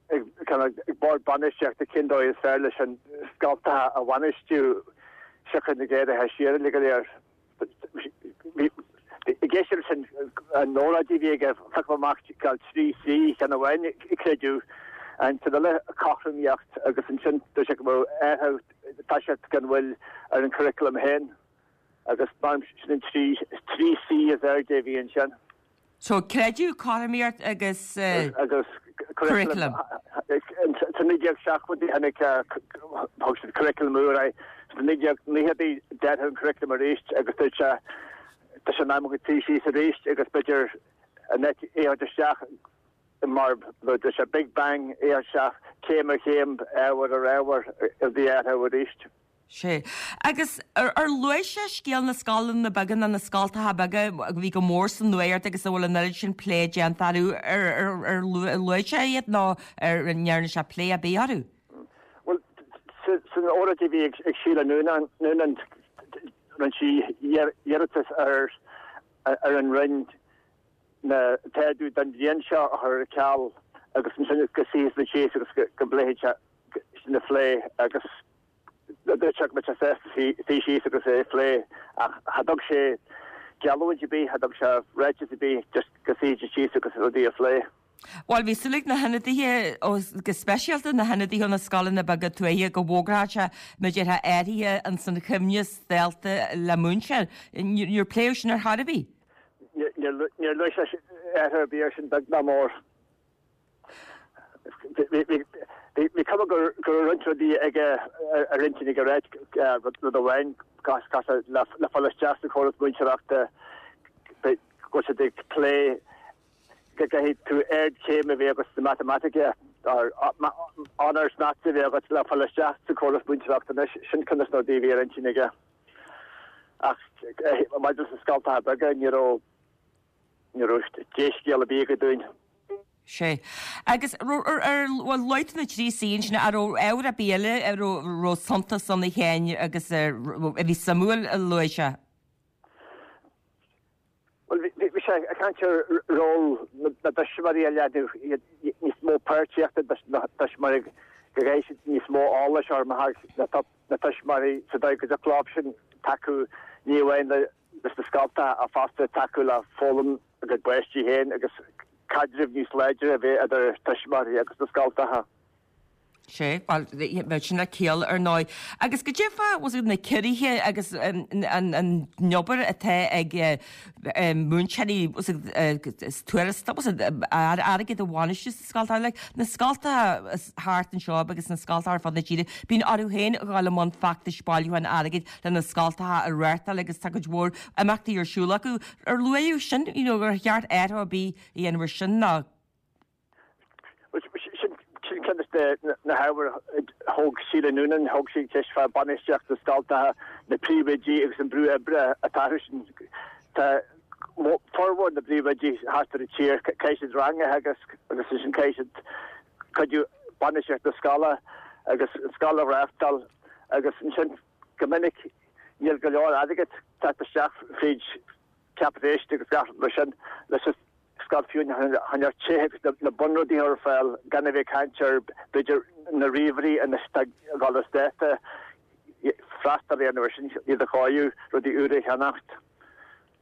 ag bord bainistíochta cén dóigh is fearr leis an scoltacha a bhainistiú siocair na géaraithe siar uilig go léir. I gceist leis an óráid a bhí aige, phioc mé amach cineál trí C, ceann amháin creideamh, an ceann eile cothromaíocht agus ansin dúirt sé go mbeadh athrú toiseacht gan mhoill ar an curriculum féin agus mar sin an trí C is airde a bhí ansin. So, creideamh, cothromaíocht agus agus curriculum. Sa naoi déag seachtóidí tháinig thug siad curriculum úr é. Sna naoi déag nóchaidí d'athraigh an curriculum arís agus dúirt sé tá sé in am againn suí síos arís agus b'fhéidir an áit é a thabhairt isteach mar dúirt sé big bang é a thabhairt isteach céim ar chéim, ábhar ar ábhar a bhí athrú arís. Sea. Agus ar luaigh sé scéal na scoileanna beaga nó na scoltacha beaga a bhí go mór sa nuacht agus a bhfuil an oiread sin plé déanta orthu, ar luaigh sé iad nó ar ndearna sé plé ar bith orthu? Bhuel, san óráid a bhí ag Sheila Noonan, rinne sí iarratas ar an Roinn an t-ardú don bhliain seo a chur ar ceal agus ansin go suífidh siad síos agus go bpléifidh siad sin a phlé agus Dúirt sé go mbeadh sé sásta suí síos agus é a phlé ach cha dtug sé geallúint ar bith, cha dtug sé ráiteas ar bith, just go suífidís síos agus rudaí a phlé. Bhuel, bhí súil ag na hionadaithe, go speisialta na hionadaithe ó na scoileanna beaga tuaithe, go bhfógródh sé mar a déarfá athruithe ins an choibhneas dalta le múinteoir. Níor pléadh sin ar chor ar bith. Níor luaigh sé athrú ar bith air sin beag ná mór. Bhí cuma go raibh roinnt rudaí aige ar intinn aige ráit, rud amháin, le fáil isteach sa chóras múinteoireachta, go bhfuil siad ag plé go gcaithfidh tú ardchéim a bheith agat sa matamaitic or honours maths a bheith agat le fáil isteach sa chóras múinteoireachta anois. Sin ceann de na rudaí a bhí ar intinn aige. Ach maidir leis na scoltacha beaga, ní raibh ní raibh dea-scéal ar bith aige dúinn. Sea. Agus ar bhuel luaigh tú na trí C ansin, an raibh ábhar ar bith eile a raibh suntas ann a Sheáin agus a bhí suimiúil a luaigh sé? Bhuel, bhí sé ag caint ar ról na dtuismitheoirí a leathnú, níos mó páirtíochta dos na tuismitheoirí, go gcaithfidh siad níos mó eolais a chur amach na tuismitheoirí sa dóigh go dtiocfadh leo sin tacú ní amháin leis na scoltacha ach fosta tacú le foghlaim a gcuid bpáistí féin agus caidreamh níos láidre a bheith idir tuismitheoirí agus na scoltacha. Sea, bhuel, bheadh sin le ciall, ar ndóigh. Agus goidé fá, bhfuil na ciorruithe agus an obair atá ag múinteoirí, tuarastal, airgead a bhainistiú sna scoltacha, like, na scoltacha thart anseo agus na scoltacha ar fud na tíre, bíonn orthu féin a dhul i mbun feachtais bailiúcháin airgid le na scoltacha a reáchtáil agus tá cuid mhór imeachtaí ar siúl acu. Ar luaíodh sin, you know, ar cheart athrú ar bith a dhéanamh ar sin nó? Sin ceann de na hábhair a thóg Síle Noonan, thóg sí an cheist fá bainistíocht na scoltacha, na príomhoidí agus an brú oibre atá orthu sin. Tá formhór na bpríomhoidí thart ar an tír, caithfidh siad rang a theagasc agus ansin caithfidh siad cuidiú bainistíocht na scoile agus an scoil a reáchtáil agus ansin go minic níl go leor airgid ag teacht isteach fríd ceapadh éist agus gach rud mar sin leis an scoil fiú chun ar tithe agus na bunrudaí a chur ar fáil gan a bheith ag caint ar b'fhéidir na ríomhairí anois atá ag dul as dáta, freastal a dhéanamh ar sin, iad a chóiriú, rudaí úra a cheannacht.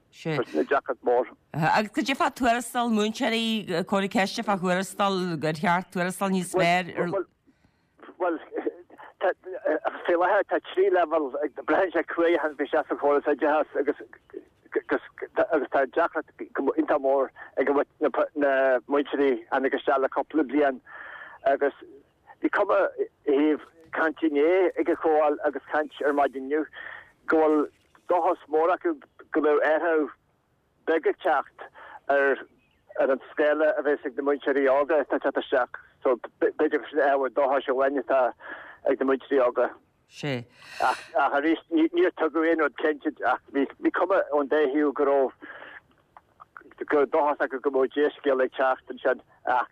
Sin deacracht mhór. Agus goidé fá tuarastal múinteoirí, cuireadh ceist fá thuarastal, ar cheart tuarastal níos fearr ar. Bhuel, faoi láthair tá trí leibhéal, braitheann sé cá huair a tháinig tú isteach sa chóras oideachais agus agus tá deacracht iontach mór ag na múinteoirí a tháinig isteach le cúpla bliain agus bhí cuma i dtaobh caint inné ag an chomhdháil agus caint ar maidin inniu go bhfuil dóchas mór acu go mbeidh athrú beag ag teacht ar ar an scála a bheas ag na múinteoirí óga atá ag teacht isteach. So b'fhéidir gur sin ábhar dóchais amháin atá ag na múinteoirí óga. Sea. Ach arís, níor tugadh aon rud cinnte ach bhí cuma ón dá thaobh go raibh go raibh dóchas acu go mbeadh dea-scéal ag teacht ansin ach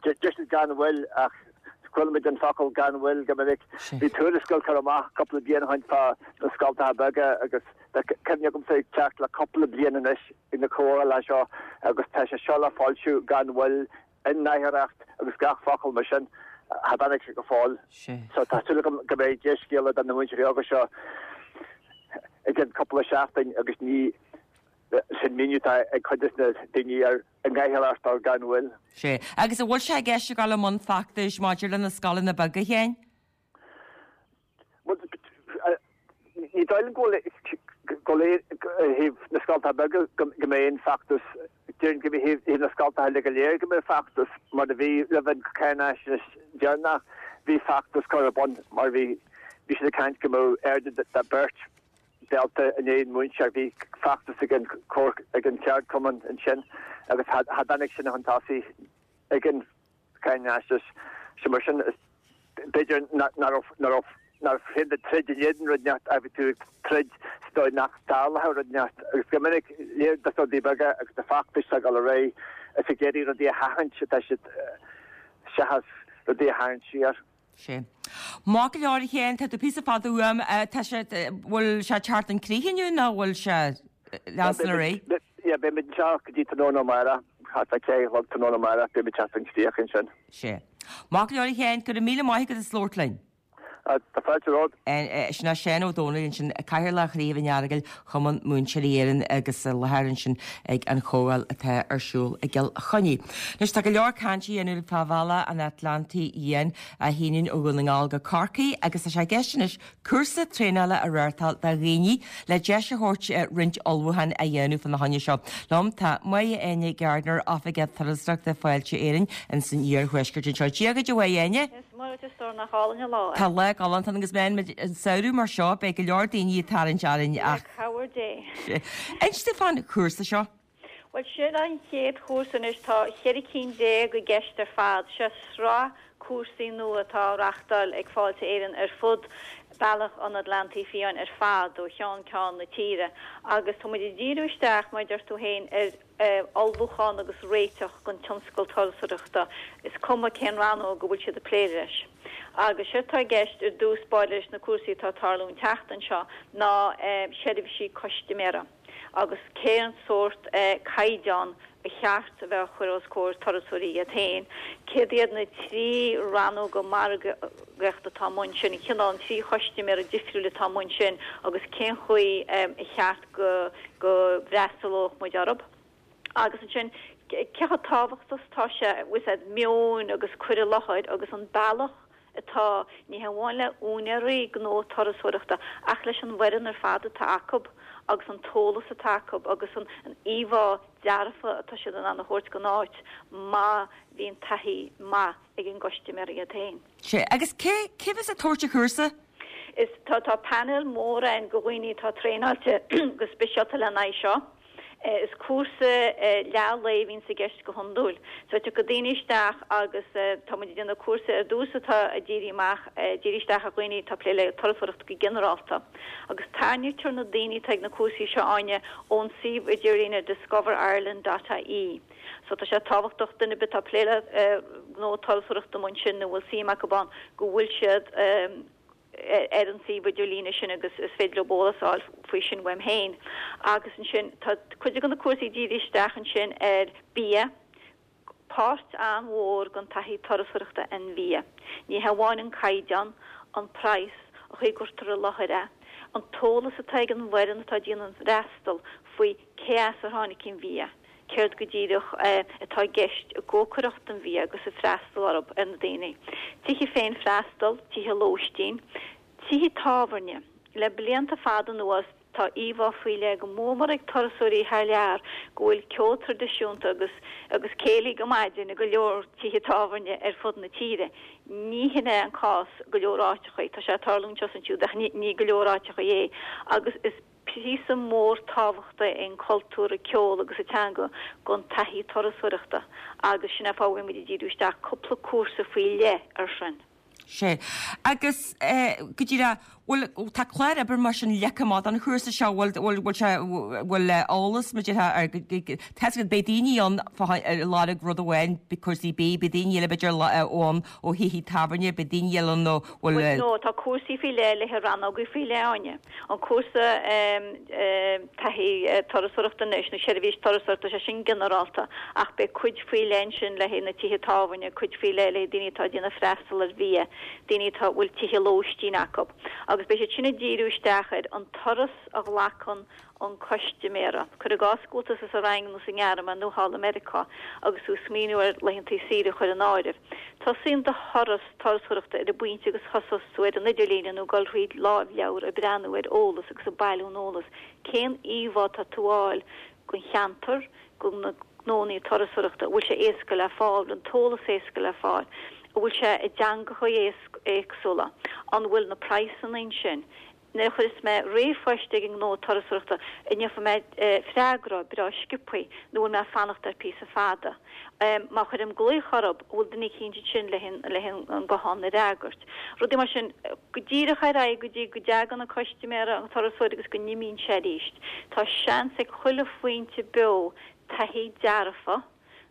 deir siad gan mhoill ach chuala muid an focal gan mhoill go minic. Bhí tuarascáil curtha amach cúpla bliain ó shin fá na scoltacha beaga agus tá cuimhne agamsa ag teacht le cúpla bliain anois ag na comhdhálacha seo agus tá sé seo le foilsiú gan mhoill i nGaeltacht agus gach focal mar sin, cha dtáinig sé go fóill. So tá súil agam go mbeidh dea-scéala do na múinteoirí óga seo i gcionn cúpla seachtain agus ní sin míniú atá ag cuid de na daoine ar an nGaeltacht ar gan mhoill. Sea. Agus an bhfuil sé i gceist ag dul i mbun feachtais maidir le na scoileanna beaga féin? Bhuel, ní dóigh liom go bhfuil i dtaobh na scoltacha beaga go mbeidh aon feachtas, déarfainn go mbeidh i dtaobh na scoltacha uile go léir go mbeidh feachtas mar a bhí roimh an cháinaisnéis deireanach, bhí feachtas curtha ar bun mar bhí bhí siad ag caint go mbeadh airde de beirt dalta in aon mhúinteoir, bhí feachtas ag an ag an cheardchumann ansin agus cha dtáinig sin chun tosaigh ag an cháinaisnéis. So mar sin b'fhéidir nach raibh nach raibh nach raibh féin troid in éadan rud inteacht ach bhí tú ag troid sa dóigh nach dtarlódh rud inteacht agus go minic léir dos na rudaí beaga agus na feachtais atá ag dul ar aghaidh is ag iarraidh rudaí a sheachaint atá siad seachas rudaí a tharraingt siar. Sea. Maith go leor a Sheáin, tá tú píosa fada uaim, tá sé, bhfuil sé ag teacht chun críche inniu nó bhfuil sé leanstan ar aghaidh? Yeah, beimid anseo go dtí tráthnóna amárach, thart fá ceathair a chlog tráthnóna amárach, beimid ag teacht chun críche ansin. Sea. Maith go leor a Sheáin, go raibh míle maith agat as labhairt linn. Tá fáilte romhat. Sin é Seán Ó Dónaill ansin, Cathaoirleach Chraobh an Earagail Chumann Múinteoirí Éireann agus i láthair ansin ag an chomhdháil atá ar siúl i gCill Chainnigh. Anois tá go leor cainte á dhéanamh fá Bhealach an Atlantaigh Fhiáin a shíneann ó Dhún na nGall go Corcaigh agus tá sé i gceist anois cúrsa traenála a reáchtáil do dhaoine le deis a thabhairt roinnt ullmhúchán a dhéanamh fána choinne seo. Liom tá Máire Áine Gardiner, Oifigeach Turasóireachta Fáilte Éireann ins an Iarthuaisceart anseo. Dia dhuit a Mháire Áine. Is maith duit a stór nach álainn an lá é. Tá lá galánta agus meán an samhradh mar seo beidh go leor daoine ag tarraingt orainn ach. Le cabhair Dé. Inis domh fán chúrsa seo. Bhuel sin an chéad chúrsa anois, tá cheithre cinn déag i gceist ar fad. Seo sraith cúrsaí nua atá á reachtáil ag Fáilte Éireann ar fud Bealach an Atlantaigh Fiáin ar fad, ó cheann ceann na tíre, agus tá muid ag díriú isteach, mar a deir tú féin, ar ullmhúchán agus réiteach don tionscal turasóireachta, is cuma cén rannóg a bhfuil siad ag plé leis. Agus séard atá i gceist ar dtús báire leis na cúrsaí atá ag tarlú an tseachtain seo ná seirbhísí custaiméara agus cén sórt caighdeán ba cheart a bheith á chur os comhair turasóirí iad féin, céard iad na trí rannóga margaíochta atá amuigh ansin, an cineál, an trí chustaiméara difriúil atá amuigh ansin agus cén chaoi a cheart go go bhfreastalódh muid orthu. Agus ansin, cé chomh tábhachtach is atá sé, bhfuil fhios a'd, meon agus cur i láthair agus an bealach atá, ní hamháin le úinéirí gnó turasóireachta ach leis an bhfoireann ar fad atá acu agus an t-eolas atá acu agus an íomhá dearfa atá siad in ann a thabhairt don áit má bhíonn taithí maith ag an gcustaiméir iad féin. Sea, agus cé, cé bheas ag tabhairt an chúrsa? Is, tá, tá painéal mór ann de dhaoine atá traenáilte go speisialta lena aghaidh seo. Is cúrsa leath lae a bhíonns i gceist go hiondúil. So tiocfaidh daoine isteach agus tá muid ag déanamh cúrsa ar dtús atá ag díriú amach, ag díriú isteach ar dhaoine atá ag plé le turasóireacht go ginearálta. Agus tarraingítear na daoine atá ag na cúrsaí seo Áine ón suíomh idirlíne discover ireland dot ie. So tá sé tábhachtach duine ar bith atá ag plé le gnó turasóireachta amuigh ansin nó a bhfuil suim acu ann go bhfuil siad ar an suíomh idirlíne sin agus is féidir leo eolas a fháil faoi sin uaim féin. Agus ansin tá cuid de na cúrsaí dírithe isteach ansin ar bia, páirt an-mhór den taithí turasóireachta an bhia. Ní hamháin an caighdeán, an praghas, an chaoi a gcuirtear i láthair é, an t-eolas atá ag an bhfoireann atá ag déanamh an freastal faoi cé as ar tháinig an bhia, céard go díreach atá i gceist i gcócaireacht an bhia agus ag freastal orthu, ar na daoine. Tithe féin-fhreastail, tithe lóistín, tithe tábhairne. Le blianta fada anuas tá íomhá faoi leith go mór mór ag turasóirí thar lear go bhfuil ceol traidisiúnta agus agus céilí go maidin i go leor tithe tábhairne ar fud na tíre. Ní hin é an cás i go leor áiteachaí. Tá sé ag tarlú anseo is ansiúd ach ní go leor áiteachaí é agus is píosa mór tábhachta é an cultúr, an ceol agus an teanga don taithí turasóireachta agus sin é fáth a bhfuil muid ag díriú isteach cúpla cúrsa faoi leith ar sin. Sea. Agus go díreach, bhfuil, tá clár oibre mar sin leagtha amach don chúrsa seo, bhfuil, bhfuil, bhfuil sé, bhfuil eolas maidir le, ar, tá a fhios agat, beidh daoine ann ag lorg rud amháin, cúrsaí bídh, beidh daoine eile b'fhéidir ann ó thithe tábhairne, beidh daoine eile ann ó, bhfuil. Bhuel, no, tá cúrsaí faoi leith le haghaidh rannógaí faoi leith, Áine. An cúrsa taithí turasóireachta anois, nó seirbhís turasóireachta, tá sé sin ginearálta, ach beidh cuid faoi leith ansin le haghaidh na tithe tábhairne, cuid faoi leith le haghaidh daoine atá ag déanamh freastal ar bhia, daoine atá, bhfuil tithe lóistín acu. Agus beidh siad sin ag díriú isteach ar an turas a ghlacann an custaiméara. Cuir i gcás go bhfuil tusa sa Fhrainc nó sa nGearmáin nó thall i Meiriceá agus tú ag smaoineamh ar laethanta saoire a chur in áireamh. Tosaíonn do thuras turasóireachta ar an bpointe agus thosós tú ar an idirlíne nó ag dul thríd lámhleabhar ag breathnú ar eolas agus ag bailiú an eolas. Cén íomhá atá tú a fháil den cheantar, de na gnónnaí turasóireachta, an bhfuil sé éasca le fáil, an bhfuil an t-eolas éasca le fáil, an bhfuil sé i dteangacha éagsúla, an bhfuil na praghsanna ansin. Nuair a chuireas mé ríomhphost ag an ngnó turasóireachta, an ngeobhaidh mé freagra breá sciobthaí nó bhfuil mé ag fanacht air píosa fada? Má chuirim glaoch orthu, an bhfuil duine eicínt ansin le an guthán a fhreagairt? Rudaí mar sin, go díreach ar aghaidh go dtí go dtagann an custaiméara, an turasóir agus go n-imíonn sé arís. Tá seans ag chuile phointe beo taithí dearfa,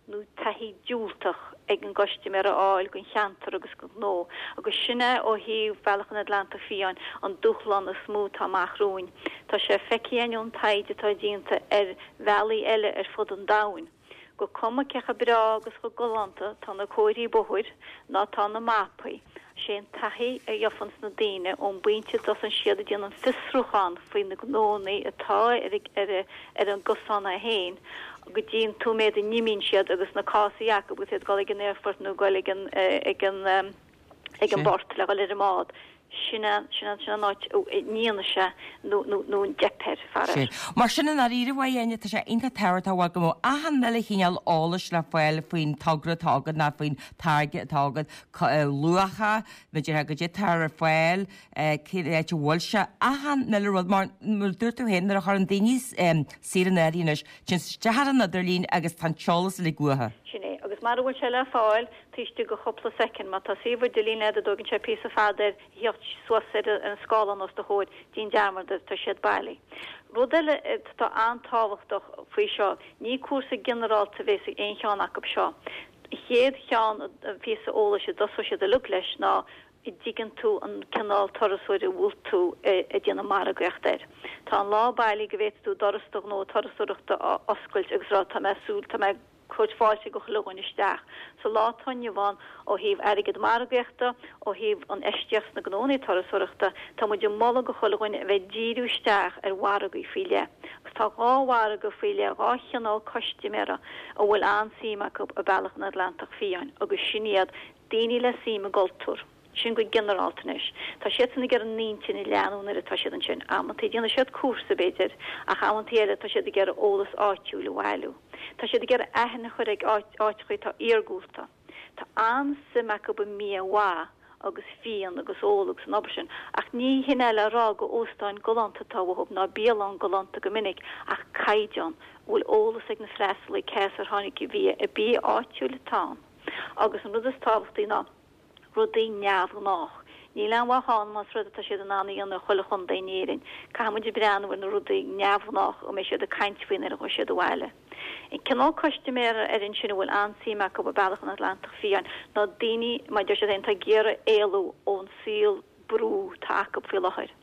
nó taithí diúltach ag an gcustaiméir a fháil den cheantar agus den ghnó, agus sin é ó thaobh Bhealach an Atlantaigh Fiáin an dúshlán is mó atá amach romhainn. Tá sé feicthe againn ón taighde atá déanta ar bhealaí eile ar fud an domhain gur cuma cé chomh breá agus chomh galánta tá na comharthaí bóthair ná tá na mapaí, sé an taithí a gheofanns na daoine ón bpointe a dtosaíonn siad ag déanamh fiosrúchán faoi na gnónnaí atá ar ar ar an gcosán é féin go dtí an nóiméad a n-imíonn siad agus na cásaí acu agus iad ag dul ag an aerfort nó ag dul ag an ag an ag an bport le dhul ar an mbád. Sin an sin an sin an áit a ndéanann sé nó nó nó an dteip air, faraor. Mar sin i ndáiríre, a Áine, tá sé iontach tábhachtach go mbeadh achan uile chineál eolais le fáil faoin togra atá agat ná faoin táirge atá agat, luacha, b'fhéidir goidé atá ar fáil, cén áit a bhfuil sé, achan uile rud mar mar dúirt tú féin nuair a chuireann daoine saor in áirithe anois, téann isteach ar an idirlíon agus tá an t-eolas uilig uathu. Sin é, agus mara bhfuil sé le fáil taobh istigh de chúpla soicind, má tá suíomh idirlín agat a dtógann sé píosa fada air a theacht suas ar an scáileán os do chomhair, déan dearmad air, tá siad bailí. Rud eile atá an-tábhachtach faoi seo, ní cúrsa ginearálta a bheas ag aon cheann acu seo. An chéad cheann, an píosa eolais a dtosóidh siad uilig leis ná an dtuigeann tú an cineál turasóir a bhfuil tú ag déanamh margaíocht air. Tá an lá bailí go bhféadfaidh tú doras do ghnó turasóireachta a oscailt agus rá tá mé ag súil, tá mé ag tabhairt fáilte go chuile dhuine isteach. Sa lá atá inniu ann, ó thaobh airgead margaíochta, ó thaobh infheistíocht sna gnónnaí turasóireachta, tá muid ag moladh go chuile dhuine a bheith ag díriú isteach ar mhargaí faoi leith. Agus tá dhá mhargadh faoi leith, dhá chineál custaiméara a bhfuil an-suim acu i Bealach an Atlantach Fiáin agus sin iad daoine le suim i gcultúr. Sin go ginearálta anois. Tá siadsan ag iarraidh an intinn a leathnú nuair atá siad ansin. Amantaí déanfaidh siad cúrsa, b'fhéidir, ach amantaí eile tá siad ag iarraidh eolas áitiúil a bhailiú. Tá siad ag iarraidh aithne a chur ag áiteachaí atá iargúlta. Tá an-suim acu i mbia mhaith agus fíon agus ól agus an obair sin, ach ní hin é le rá go óstáin galánta atá uathu ná bialann galánta go minic, ach caighdeán, a bhfuil eolas ag na freastalaí cé as ar tháinig an bia, an bia áitiúil atá ann. Agus an rud is tábhachtaí ná. rudaí neamhghnách. Níl aon mhaith ann más rud atá siad in ann a dhéanamh i chuile chontae in Éirinn. Caithfidh muid breathnú ar na rudaí neamhghnách a mbeidh siad ag caint faoi nuair a ghabhfaidh siad abhaile. An cineál custaiméara ar ansin a bhfuil an-suim acu i Bealach an Atlantach Fiáin ná daoine, mar deir siad féin, atá ag iarraidh éalú ón saol brú atá acu faoi láthair.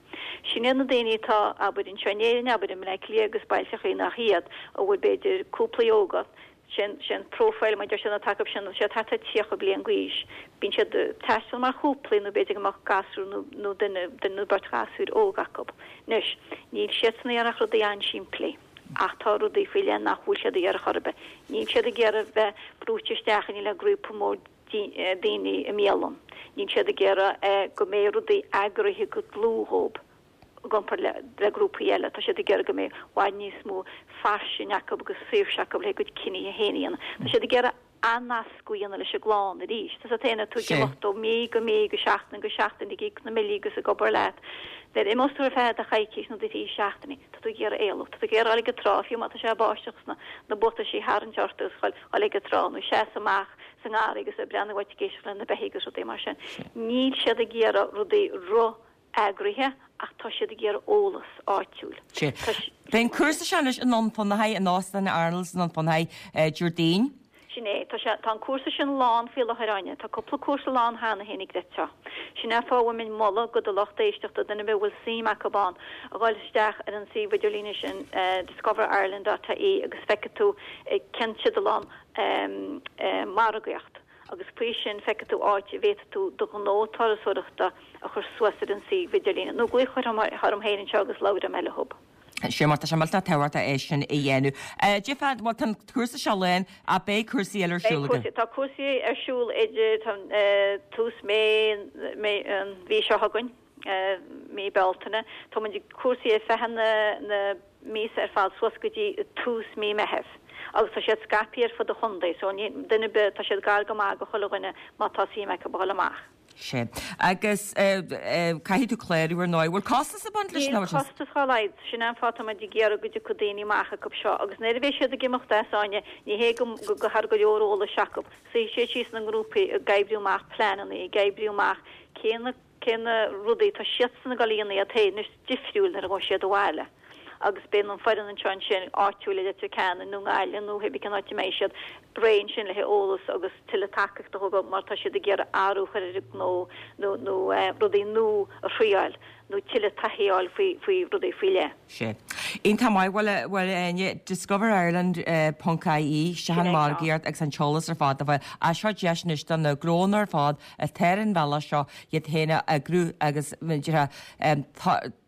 Sin iad na daoine atá, abair, anseo in Éirinn, abair, i mBleá Cliath agus bailteachaí nach iad, a bhfuil b'fhéidir cúplaí óga, Sin, sin profile mar deir siad atá acu sin, siad thart ar tríocha bliain d'aois. Bíonn siad ag taisteal mar chúplaí nó b'fhéidir go mbeadh gasúr nó, nó duine, duine nó beirt ghasúir óg acu. Anois, níl siadsan ag iarraidh ach rudaí an-simplí. Ach tá rudaí faoi leith nach bhfuil siad ag iarraidh chor ar bith. Níl siad ag iarraidh bheith brúite isteach in le grúpa mór daoine i mbialann. Níl siad ag iarraidh go mbeidh rudaí eagraithe go dlúth dhóibh. i gcomparáid le le grúpaí eile. Tá siad ag iarraidh go mbeidh i bhfad níos mó fairsinge acu agus saoirse acu le a gcuid cinní féin a dhéanamh. Tá siad ag iarraidh athnascadh a dhéanamh leis an gclann arís. Tá siad féin, tú ag imeacht ó mí go mí go seachtain go seachtain ag íoc na mbillí agus ag obair leat. Nuair a imeos tú ar feadh do choicís nó do thrí seachtainí, tá tú ag iarraidh éalú. Tá tú ag iarraidh dul ag an trá, fiú má tá sé ag báisteach agus na na buataisí a tharraingt ort agus dhul dhul ag an trá nó seasamh amach sa ngarraí agus ag breathnú uait ag éisteacht le na beithígh agus rudaí mar sin. Níl siad ag iarraidh rudaí ro eagraithe ach tá siad ag iarraidh eolas áitiúil. Sea. Beidh an cúrsa seo anois i nDún Fionnachaidh, in Óstán Arnold's i nDún Fionnachaidh, Déardaoin. Sin é. Tá sé, tá an cúrsa sin lán faoi láthair, Áine. Tá cúpla cúrsa lán cheana féin ag rith seo. Sin é an fáth a bhfuil mé ag moladh go do lucht éisteachta, duine ar bith a bhfuil suim acu ann, a dhul isteach ar an suíomh idirlíne sin, discover ireland dot ie agus feicfidh tú cén teideal ann, margaíocht. agus faoi sin feicfidh tú áit a bhféadfaidh tú do ghnó turasóireachta a chur suas ar an suíomh idirlín, nó glaoch orm féin anseo agus labhróidh mé leob. Sea, mar tá sé millteanach tábhachtach é sin a dhéanamh. Cad é fá, bhuel tá an cúrsa seo lán, ach beidh cúrsaí eile ar siúl againn. Tá cúrsaí ar siúl idir tús mí, an mhí seo chugainn, mí Bealtaine. Tá muid ag cúrsaí ar feadh na míosa ar fad suas go dtí tús mí Meitheamh agus tá siad scaipthe ar fud an chontae so ní duine ar bith, tá siad gar go maith go chuile dhuine má tá suim acu a dhul amach. Sea. Agus caithfidh tú clárú ar ndóigh. Bhfuil costas ag baint leis Níl costas dá laghad. Sin é an fáth tá muid ag iarraidh go dtiocfadh daoine amach acu seo agus nuair a bheidh siad ag imeacht as Áine ní hé go go thar go leor eolais acu. Suífidh siad síos ina ngrúpaí ag oibriú amach pleananna, ag oibriú amach cé na cé na rudaí atá siadsan ag dul a dhéanamh iad féin anois difriúil nuair a ghabhfaidh siad abhaile. agus beidh an foireann anseo ansin áitiúil i Leitir Ceanainn nó nGaillimh nó hébí cén áit a mbeidh siad réidh ansin le heolas agus tuilleadh tacaíocht a thabhairt má tá siad ag iarraidh athrú a chur ar a ngnó nó nó rudaí nua a thriáil nó tuilleadh taithí a fháil faoi faoi rudaí faoi leith. Sea. Iontach maith. Bhuel, bhuel, Áine, Discover Ireland ponc IE, sin an margaíocht agus an t-eolas ar fad a bheith. Á, seo deis anois do na gnónna ar fad atá ar an bhealach seo iad féin a eagrú agus, b'fhéidir,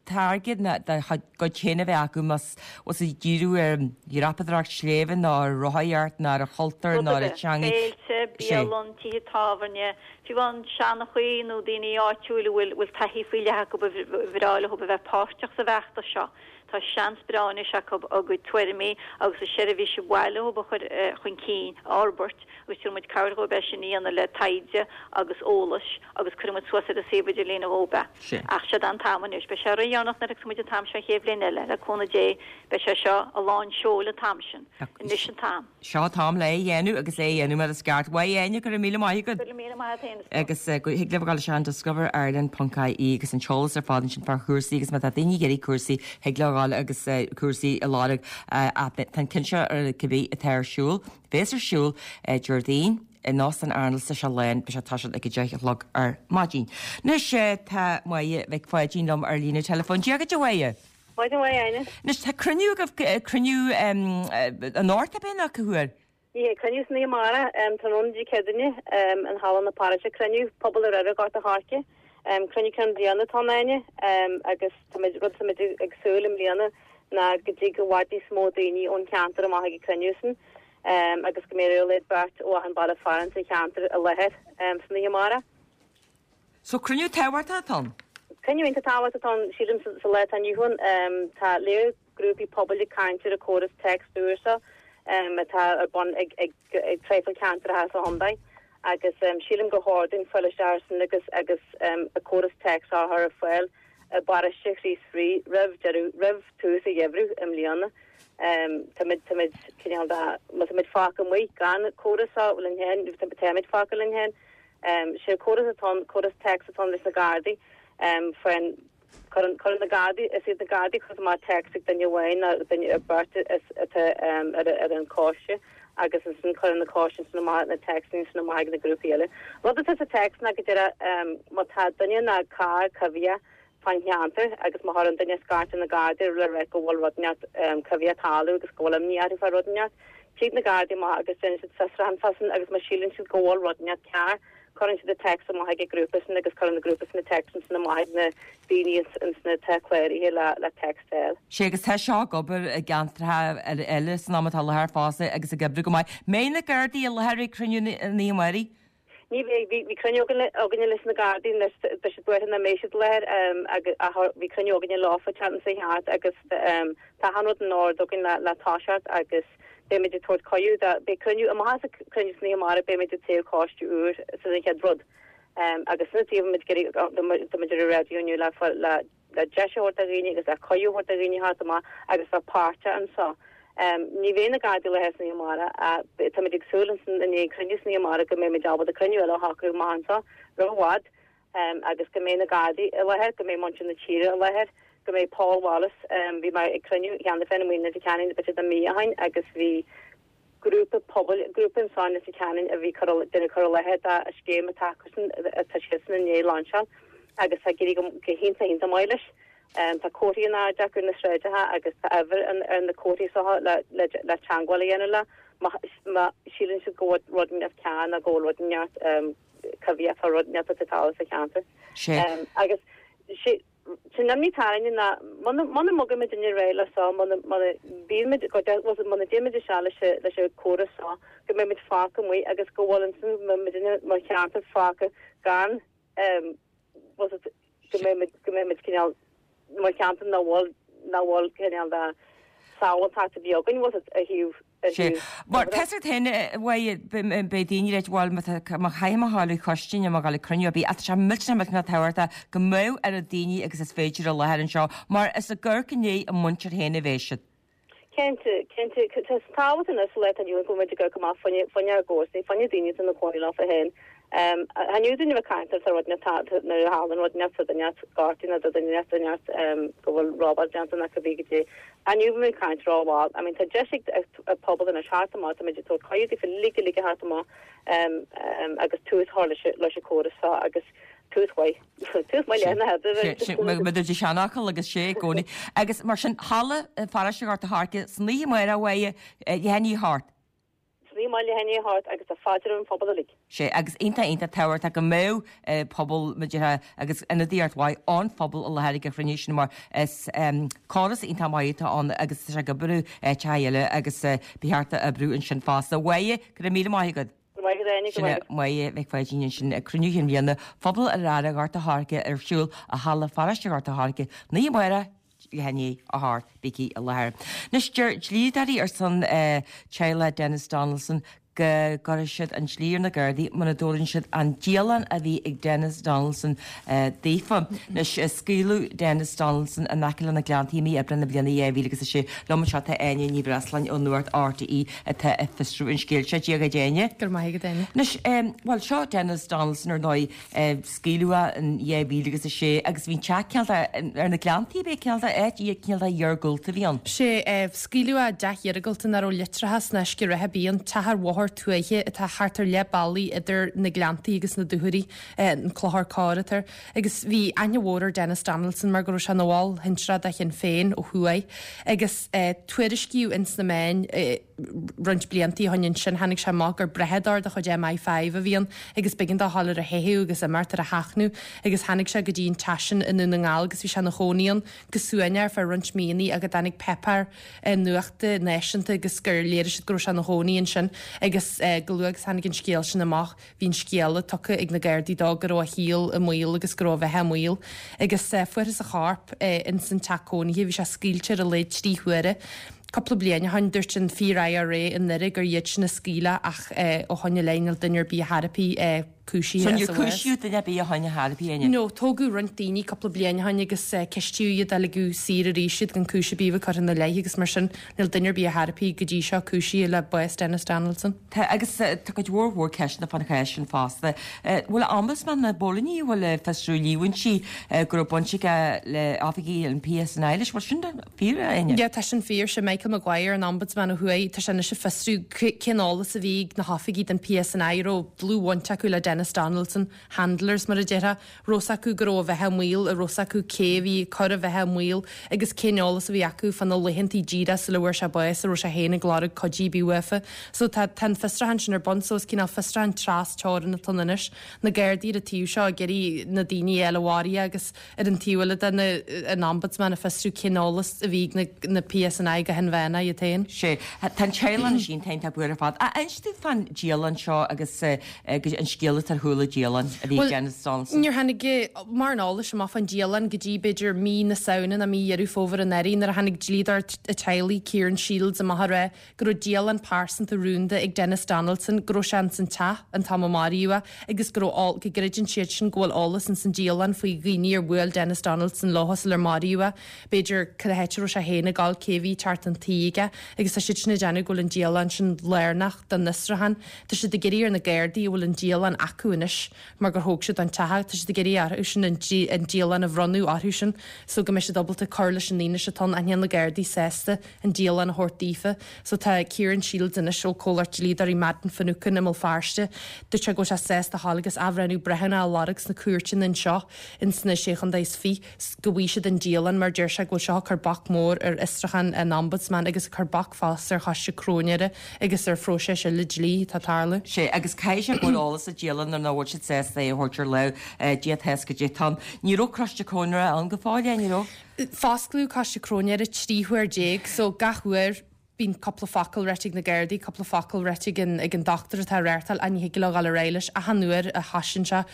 táirge dá gcuid féin a bheith acu más bhfuil siad ag díriú ar dhreapadóireacht sléibhe nó ar rothaíocht nó ar an chultúr nó ar an teanga. Féilte, bialann, tithe tábhairne, fiú amháin seanchaí nó daoine áitiúil a bhfuil bhfuil taithí faoi leith acu ba bhreá leo a bheith páirteach sa bhfeachtas seo. Tá seans breá anois acu a gcuid tuairimí agus a seirbhís ba mhaith leo a chur chun cinn, a fhorbairt agus tabharfaidh muid cabhair dhóibh é sin a dhéanamh le taighde agus eolas agus cuirfidh muid suas ar an suíomh idirlín dhóibh é. Ach seod é an t-am anois. Beidh sé ródheireanach nuair a thiocfas muid an t-am seo an chéad bhliain eile, le cúnamh Dé beidh sé seo i lán seoil an t-am sin. Anois an t-am. Seo an t-am le é a dhéanamh agus é a dhéanamh mar is ceart. Mhaith Áine, go raibh míle maith agat. Go raibh míle maith agat féin, a stór. Agus thig libh a ghabháil isteach Discover Ireland ponc IE agus an t-eolas ar fad ansin fá chúrsaí agus má tá daoine ag iarraidh cúrsaí thig leo a ghabháil agus cúrsaí a lorg ach tá an ceann seo ar cibé atá ar siúl, bhéas ar siúl Déardaoin in Óstán Arnolds sa Sealán, beidh sé ag toiseacht ag a deich a chlog ar maidin. Anois tá Máire Mhic Pháidín liom ar líne teileafóin. Dia dhuit a Mháire. Maidin mhaith, Áine. Anois tá cruinniú agaibh, cruinniú anocht ab é nó cá huair? Ní hea, cruinniú san oíche amárach, tráthnóna Dé Céadaoine, in Halla na Paróiste, cruinniú Pobal Ar Gort a' Choirce. Cruinniú ceann bliana atá ann, Áine, agus táimid, rud atáimid ag súil i mbliana ná go dtig i bhfad níos mó daoine ón cheantar amach ag an cruinniú san agus go mbeidh ar a laghad beirt ó achan baile fearainn sa cheantar i láthair san oíche amárach. So cruinniú tábhachtach atá ann? Cruinniú iontach tábhachtach atá ann, sílim, sa lá atá inniu ann. Tá léar grúpaí pobail ag caint ar an córas téacs úr seo atá ar bun ag traidhfil ceantracha sa chontae agus sílim gur chóir dúinn fáil isteach air sin agus agus an córas téacs a chur ar fáil i bparóiste Chríost Rí roimh deireadh, roimh tús an gheimhridh i mbliana. Táimid, táimid cineál de, má táimid fágtha amuigh gan córas seo linn féin, táimid fágtha linn féin. Sé an córas atá ann, córas téacs atá ann leis na Gardaí, faoin, cuireann, cuireann na Gardaí, is iad na Gardaí a chuireann amach téacs ag duine amháin nó duine nó beirt is atá ar, ar an choiste agus ansin cuireann na coiste ansin amach na téacsanna ansin amach ag na grúpaí eile. Rud atá sa téacs ná go díreach má tá duine nó carr coimhthíoch fán cheantar agus má chuireann duine scairt ar na Gardaí le rá go bhfuil rud inteacht coimhthíoch ag tarlú agus go bhfuil imní orthu fá rud inteacht. Tig na Gardaí amach agus déanann siad fiosrúchán fá sin agus má síleann siad go bhfuil rud inteacht cearr, cuireann siad an téacs amach ag an grúpa sin agus cuireann an grúpa sin an téacs ansin amach ag na daoine ansin atá cláraithe le le téacs a fháil. Sea, agus tá seo ag obair i gceantracha eile san am atá i láthair fosta agus ag oibriú go maith. Mbeidh na Gardaí i láthair ag cruinniú an oíche amárach? Ní bheidh. Bhí cruinniú againne leis na Gardaí anois, tá siad buartha nach mbeidh siad i láthair ach bhí cruinniú againne leofa an tseachtain seo thart agus tá achan rud in ord againn le toiseacht agus beimid ag tabhairt cuireadh do, beidh cruinniú, amach as an cruinniú san oíche amárach beimid ag toghadh coiste úr sin an chéad rud agus sna taobh muid ag iarraidh, tá muid ar an raidió inniu le le le deis a thabhairt do dhaoine agus le cuireadh a thabhairt do dhaoine theacht amach agus bheith páirteach anseo. Ní bheidh na Gardaí i láthair san oíche amárach ach táimid ag súil ansin i ndiaidh an cruinniú san oíche amárach go mbeimid ábalta cruinniú eile a shocrú amach anseo roimh i bhfad agus go mbeidh na Gardaí i láthair, go mbeidh muintir na tíre i láthair, go mbeidh Paul Wallace, bhí mé ag cruinniú cheana féin amuigh i Leitir Ceanainn b'fhéidir mí ó shin agus bhí grúpa pobail, grúpa anso i Leitir Ceanainn a bhí cur, déanamh cur i láthair do scéim atá acusan, atá siadsan i ndiaidh lainseáil agus tá ag éirí go hiontach iontach maith leis. Tá comharthaí in airde acu ar na sráideacha agus tá uimhir ar na comharthaí seo le le teangmháil a dhéanamh leo má síleann siad go bhfuil rud inteacht cearr nó go bhfuil rud inteacht coimhthíoch fá rud inteacht atá ag tarlú sa cheantar. Agus sé an imní atá orainne ná muna muna mbogaimid ar aghaidh le seo, muna muna mbímid muna dtéimid isteach leis leis an córas seo go mbeimid fágtha amuigh agus go bhfuil ansin muidinne mar cheantar fágtha gan go mbeimid go mbeimid cineál mar cheantar nach bhfuil nach bhfuil cineál de sábháilteacht a bhí againn bhfuil a thaobh a Sé. thaobh Mar tá siad féin bhuel beidh daoine ag ráit bhuel má tá má chaithfidh mé a ghabháil chuig coiste nó má ghabháil ag cruinniú ar bith ach tá sé millteanach millteanach tábhachtach go mbeadh oiread daoine agus is féidir i láthair anseo mar is ag amharc i ndiaidh a muintir féin a bheidh siad. Cinnte, cinnte, tá tábhacht anois sa lá atá inniu ann go bhfuil muid ag amharc amach fá choinne, fá choinne ár gcomharsanaí, fá choinne daoine atá ina cónaí leofa féin. Tha duine bheith caint ar rud nuair a tharlaíonn rud inteacht sa duine gortaithe nó do duine inteacht go bhfuil robáil déanta nó cibé goidé. Inniu bhí muid ag caint rómhall. I mean tá deis ag an pobal anois theacht amach, tá muid ag tabhairt cuireadh daofa uilig uilig a theacht amach agus tús a chur leis an córas seo agus tús mhaith. Tús maith le na hoibre. Mar a deir seanfhocal agus sé i gcónaí. Agus mar sin halla pharóiste Ghort a' Choirce san oíche amárach uaidh leath i ndiaidh a hocht. San oíche amárach leath i ndiaidh a hocht agus tá fáilte roimh an phobal uilig. Sé agus iontach iontach tábhachtach go mbeadh pobal muidithe agus ionadaíocht mhaith ón phobal i láthair ag an chruinniú sin mar is córas iontach maith atá ann agus tá sé ag oibriú áiteacha eile agus ba cheart a oibriú ansin fosta. Mháire, go raibh míle maith agat. Go raibh maith agat Áine, go Sin raibh maith agat. Máire Mhic Pháidín ansin ag cruinniú chinn bhliana Phobal an Aire Ghort a' Choirce ar siúl i Halla Pharóiste Ghort a' Choirce san oíche amárach leath i ndiaidh a hocht. Bígí i láthair. Anois deir dlíodóirí ar son teaghlach Denis Donaldson go gcuirfidh siad an dlí ar na Gardaí muna dtabharann siad an dialann a bhí ag Denis Donaldson daofa. Anois scaoileadh Denis Donaldson in aice le na Gleanntaí i mí Aibreán na bliana dhá mhíle agus a sé. Liom anseo tá Áine Ní Bhreasláin ó Nuacht RTÉ atá ag fiosrú an scéil seo. Dia dhuit Áine. Go raibh maith agat Áine. Anois, bhuel seo Denis Donaldson ar ndóigh, scaoileadh é in dhá mhíle agus a sé agus bhí an teach cineál de ar na Gleanntaí, b'é cineál de áit cineál de iargúlta a bhí ann. Sé, scaoileadh é i dteach iargúlta nach raibh leictreachas ná uisce reatha ar bith ann, teach ar bhóthar tuaithe atá thart ar leath bealaigh idir na Gleanntaí agus na Dúchoraidh, an Clochar Corr atá air. Agus bhí aithne mhór ar Denis Donaldson mar go raibh sé ina bhall shinsearach de Shinn Féin ó thuaidh agus tuairiscíodh ins na meáin roinnt bliantaí ó shin ansin tháinig sé amach gur brathadóir de chuid MI Five a bhí ann agus b'éigean dó dhul ar a theitheadh agus imeacht ar a sheachnadh agus tháinig sé go dtí an teach sin i nDún na nGall agus bhí sé ina chónaí ann go suaimhneach ar feadh roinnt míonna ach go dtáinig páipéar nuachta náisiúnta agus gur léirigh siad go raibh sé ina chónaí ansin agus go luath agus tháinig an scéal sin amach bhí an scéala tugtha ag na Gardaí dó go raibh a shaol i mbaol agus go raibh a bheatha i mbaol agus fuarthas a chorp ins an teach cónaithe bhí sé scaoilte ar a laghad trí huaire. Cúpla bliain ó shin dúirt an fíor IRA i nDoire gur iad sin a scaoil é ach ó shoin i leith níl duine ar bith ar chor ar bith cúisithe So as níor a bhás. cúisíodh duine ar bith ó shoin ar chor ar bith, Áine? No, tógadh roinnt daoine cúpla bliain ó shoin agus ceistíodh iad ligeadh saor arís iad gan cúis ar bith a bheith curtha ina leith agus mar sin níl duine ar bith ar chor ar bith go dtí seo cúisithe le bás Denis Donaldson. Tá, agus tá cuid mhór mhór ceisteanna fán chás sin fosta. Bhfuil Ombudsman na bPóilíní, a bhfuil ag fiosrú líomhaintí go raibh baint aige le oifigigh an PSNI leis, bhfuil sin fíor, a Áine? Yeah, tá sin fíor. Sé Michael Maguire, an Ombudsman ó thuaidh, tá sé anois ag fiosrú cén eolas a bhí ag na hoifigigh den PSNI a raibh dlúthbhaint acu le Denis Donaldson, handlers mar a déarfá, raibh 's acu go raibh a bheatha i mbaol, an raibh 's acu cé a bhí ag cur a bheatha i mbaol agus cén eolas a bhí acu fá na laethantaí díreach sula bhfuair sé bás, an raibh sé féin ag lorg cuidiú ar bith uafa. So tá tá an fiosrúchán sin ar bun so is cineál fiosrúchán tras teorann atá ann anois. Na Gardaí ar an taobh seo ag iarraidh na daoine a fháil a mharaigh é agus ar an taobh eile de na an Ombudsman ag fiosrú cén eolas a bhí ag na na PSNI go hinmheánach iad féin. Sé. Tá an teaghlach anois iontach buartha ar fad. Inis dúinn fán dialann seo agus an scéal atá ar chúl an dialann a bhí ag Bhuel, Denis Donaldson. níor tháinig mórán eolais amach fán dialann go dtí b'fhéidir mí na Samhna nó mí Dheireadh Fómhair anuraidh nuair a tháinig dlíodóir an teaghlaigh, Kieran Shields, amach ag rá go raibh dialann pearsanta rúnda ag Denis Donaldson, go raibh sé ins an teach an t-am a maraíodh é agus go raibh go gcreideann siad sin go bhfuil eolas ins an dialann faoi dhaoine ar bhuail Denis Donaldson leo sular maraíodh é. B'fhéidir cad é háit a raibh sé féin ag dul, cé a bhí ag teacht chun tí aige agus tá siad sin ag déanamh go bhfuil an dialann sin lárnach don fhiosrúchán. Tá siad ag iarraidh ar na Gardaí a bhfuil an dialann acu anois mar gur thóg siad an teach é, tá siad ag iarraidh orthu sin an dialann a bhronnadh orthu sin so go mbeidh siad ábalta cur leis an fhianaise atá ann ach níl na Gardaí sásta an dialann a thabhairt daofa. So tá Kieran Shields anois ó comhlacht dlíodóirí Madden Finucane i mBéal Feirste, dúirt sé go bhfuil sé sásta a ghabháil agus athbhreithniú breithiúnach a lorg sna cúirteanna anseo ins na Sé Chontae is Fiche go bhfaighidh siad an dialann mar deir sé go bhfuil seo ag cur bac mór ar fhiosrúchán an Ombudsman agus ag cur bac fosta ar choiste cróinéara agus ar phróiseas eile dlí atá ag tarlú. Sé agus caithfidh sé go bhfuil eolas sa dialann nuair nach bhfuil siad sásta é a thabhairt ar láimh Dia tá fhios goidé atá ann. Ní raibh coiste cróinéara ann go fóill, ní raibh? Fosclaíodh coiste cróinéara trí huair déag so gach uair bíonn cúpla focal ráite ag na Gardaí, cúpla focal ráite ag an ag an dochtúir atá ag reáchtáil ach ní thig leo dhul ar aghaidh leis. Achan uair a thosaíonn sé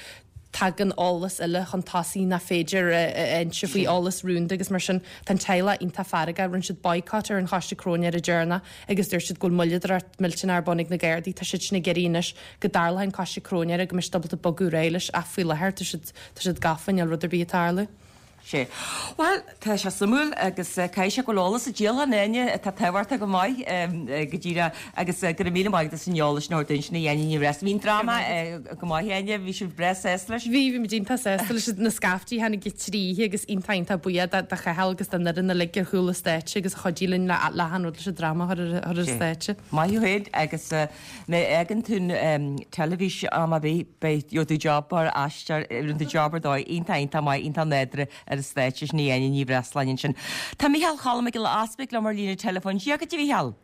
tagann eolas eile chun tosaigh nach féidir a inse faoi eolas rúnda agus mar sin. Tá an teaghlach iontach feargach. Rinne siad boycott ar an choiste cróinéara deireanach agus dúirt siad go bhfuil moilleadóireacht millteanach ar bun ag na Gardaí. Tá siad sin ag iarraidh anois go dtarlódh an coiste cróinéara go mbeidh siad ábalta bogadh ar aghaidh leis ach faoi láthair tá siad tá siad gafa, níl rud ar bith ag tarlú. Sé. Bhuel, tá sé suimiúil agus caithfidh sé go bhfuil eolas sa dialann Áine atá tábhachtach go maith go díreach agus go raibh míle maith agat as an eolas sin a thabhairt dúinn sin a Áine Ní Bhreisleáin. Bhí an dráma go maith Áine, bhí sibh breá sásta leis? Bhí, bhí muid iontach sásta leis na scaiftí tháinig trí oíche agus iontach iontach buíoch do do Chathal agus don fhoireann uilig ar chúl an stáitse agus a chuidigh linn le le achan rud leis an dráma a chur ar ar an stáitse. Maith thú féin agus má fhágann tú an teilifís am ar bith beidh gheobhaidh tú job mar aisteoir, rinne tú job ar dóigh iontach iontach maith iontach nádúrtha ar an stáitse sin Áine Ní Bhreisleáin ansin. Tá Mícheál Cholm Mac Giolla Easpaig liom ar líne teileafóin. Dia dhuit a Mhícheál.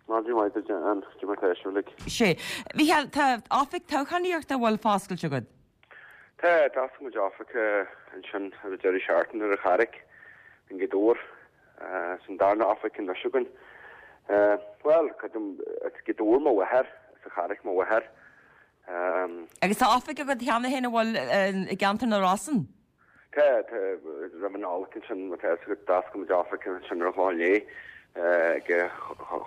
Maidin mhaith duit Ann, cad é mar tá sibh uilig. Sé. Mhícheál, tá oifig toghchánaíochta a bhfuil foscailte agat. Tá, d'oscail muid oifig ansin ar an deireadh seachtaine ar an Charraig i nGaoth Dobhair. Is an darna oifig anois againn. Bhuel, creidim, is Gaoth Dobhair mo mháthair, is an Charraig mo mháthair. Agus tá oifig agat cheana féin an bhfuil i gceantar na Rosann? Tá, tá, roimh an Nollaig ansin, má tá fhios agat, d'oscail muid oifig ansin ar an Chlochán Liath, ag an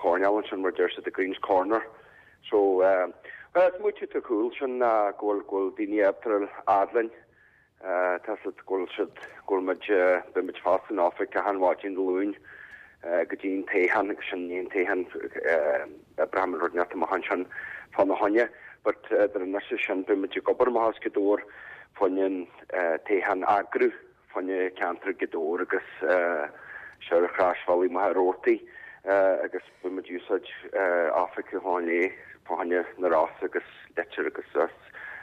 choirnéal ansin mar a deir siad, the Greens Corner. So, bhuel, is smaoitiú atá ar chúl sin ná go bhfuil, go bhfuil daoine ábalta a fhad linn. Tá fhios agat go bhfuil siad, go bhfuil muid, beidh muid foscailte an oifig achan mhaidin Dé Luain go dtí an toghchán agus sin an toghchán oibreoidh muid rud inteacht amach ansin fána choinne. But idir anois is sin beidh muid ag obair amach as Gaoth Dobhair fá choinne an toghchán a eagrú fá choinne ceantar Ghaoth Dobhair agus seo ar Chroisbhealaí Machaire Rabhartaigh agus beidh muid ag úsáid oifig an Chlochán Liath fá choinne na Rosann agus Leitir agus as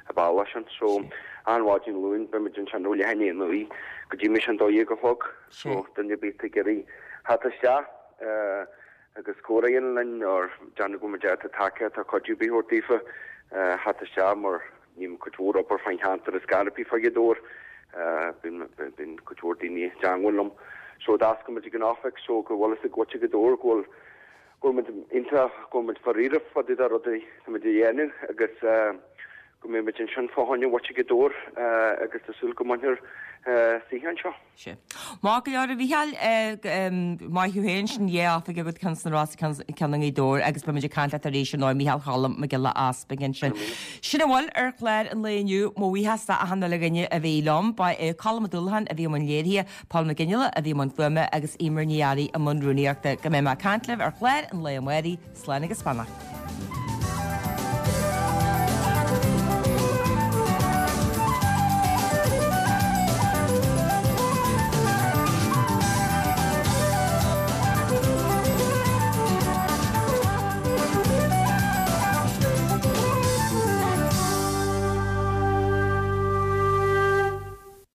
an bealach sin. So, achan mhaidin Luain, beidh muid ansin ó leath i ndiaidh a naoi go dtí muis an dó dhéag a chlog. So, duine ar bith atá ag iarraidh theacht isteach agus comhrá a dhéanamh linn or déanamh go bhfuil muid ábalta tacaíocht nó cuidiú ar bith a thabhairt daofa, theacht isteach mar ním cuid mhór obair fán cheantar is gar bith fá Ghaoth Dobhair. Bíonn bíonn cuid mhór daoine i dteangmháil liom. So, d'oscail muid ag an oifig so go bhfuil fhios ag muintir Ghaoth Dobhair go bhfuil go bhfuil muid iontach, go bhfuil muid fá-ríre fá dtaobh de rudaí atá muid a dhéanamh agus go mbeidh muid ansin fá choinne mhuintir Ghaoth Dobhair agus tá súil go mbainfear saoithe anseo. Sea. Maith go leor a Mhícheáil, maith thú féin, sin dhá oifig agat, ceann sna Rosa, ceann i nGaoth Dobhair agus beidh muid ag caint leat arís ar ndóigh, Mícheál Cholm Mac Giolla Easpaig ansin. Sin a bhfuil ar chlár an lae inniu, mo bhuíochas d'achan uile dhuine a bhí liom. Ba é Colm Ó Dúlacháin a bhí i mbun léirithe, Paul Mac Fhionnghaile a bhí i mbun fuaime agus Eimear Ní Fhearraigh i mbun rúnaíochta. Go mbeidh mé ag caint libh ar chlár an lae amárach, slán agus beannacht.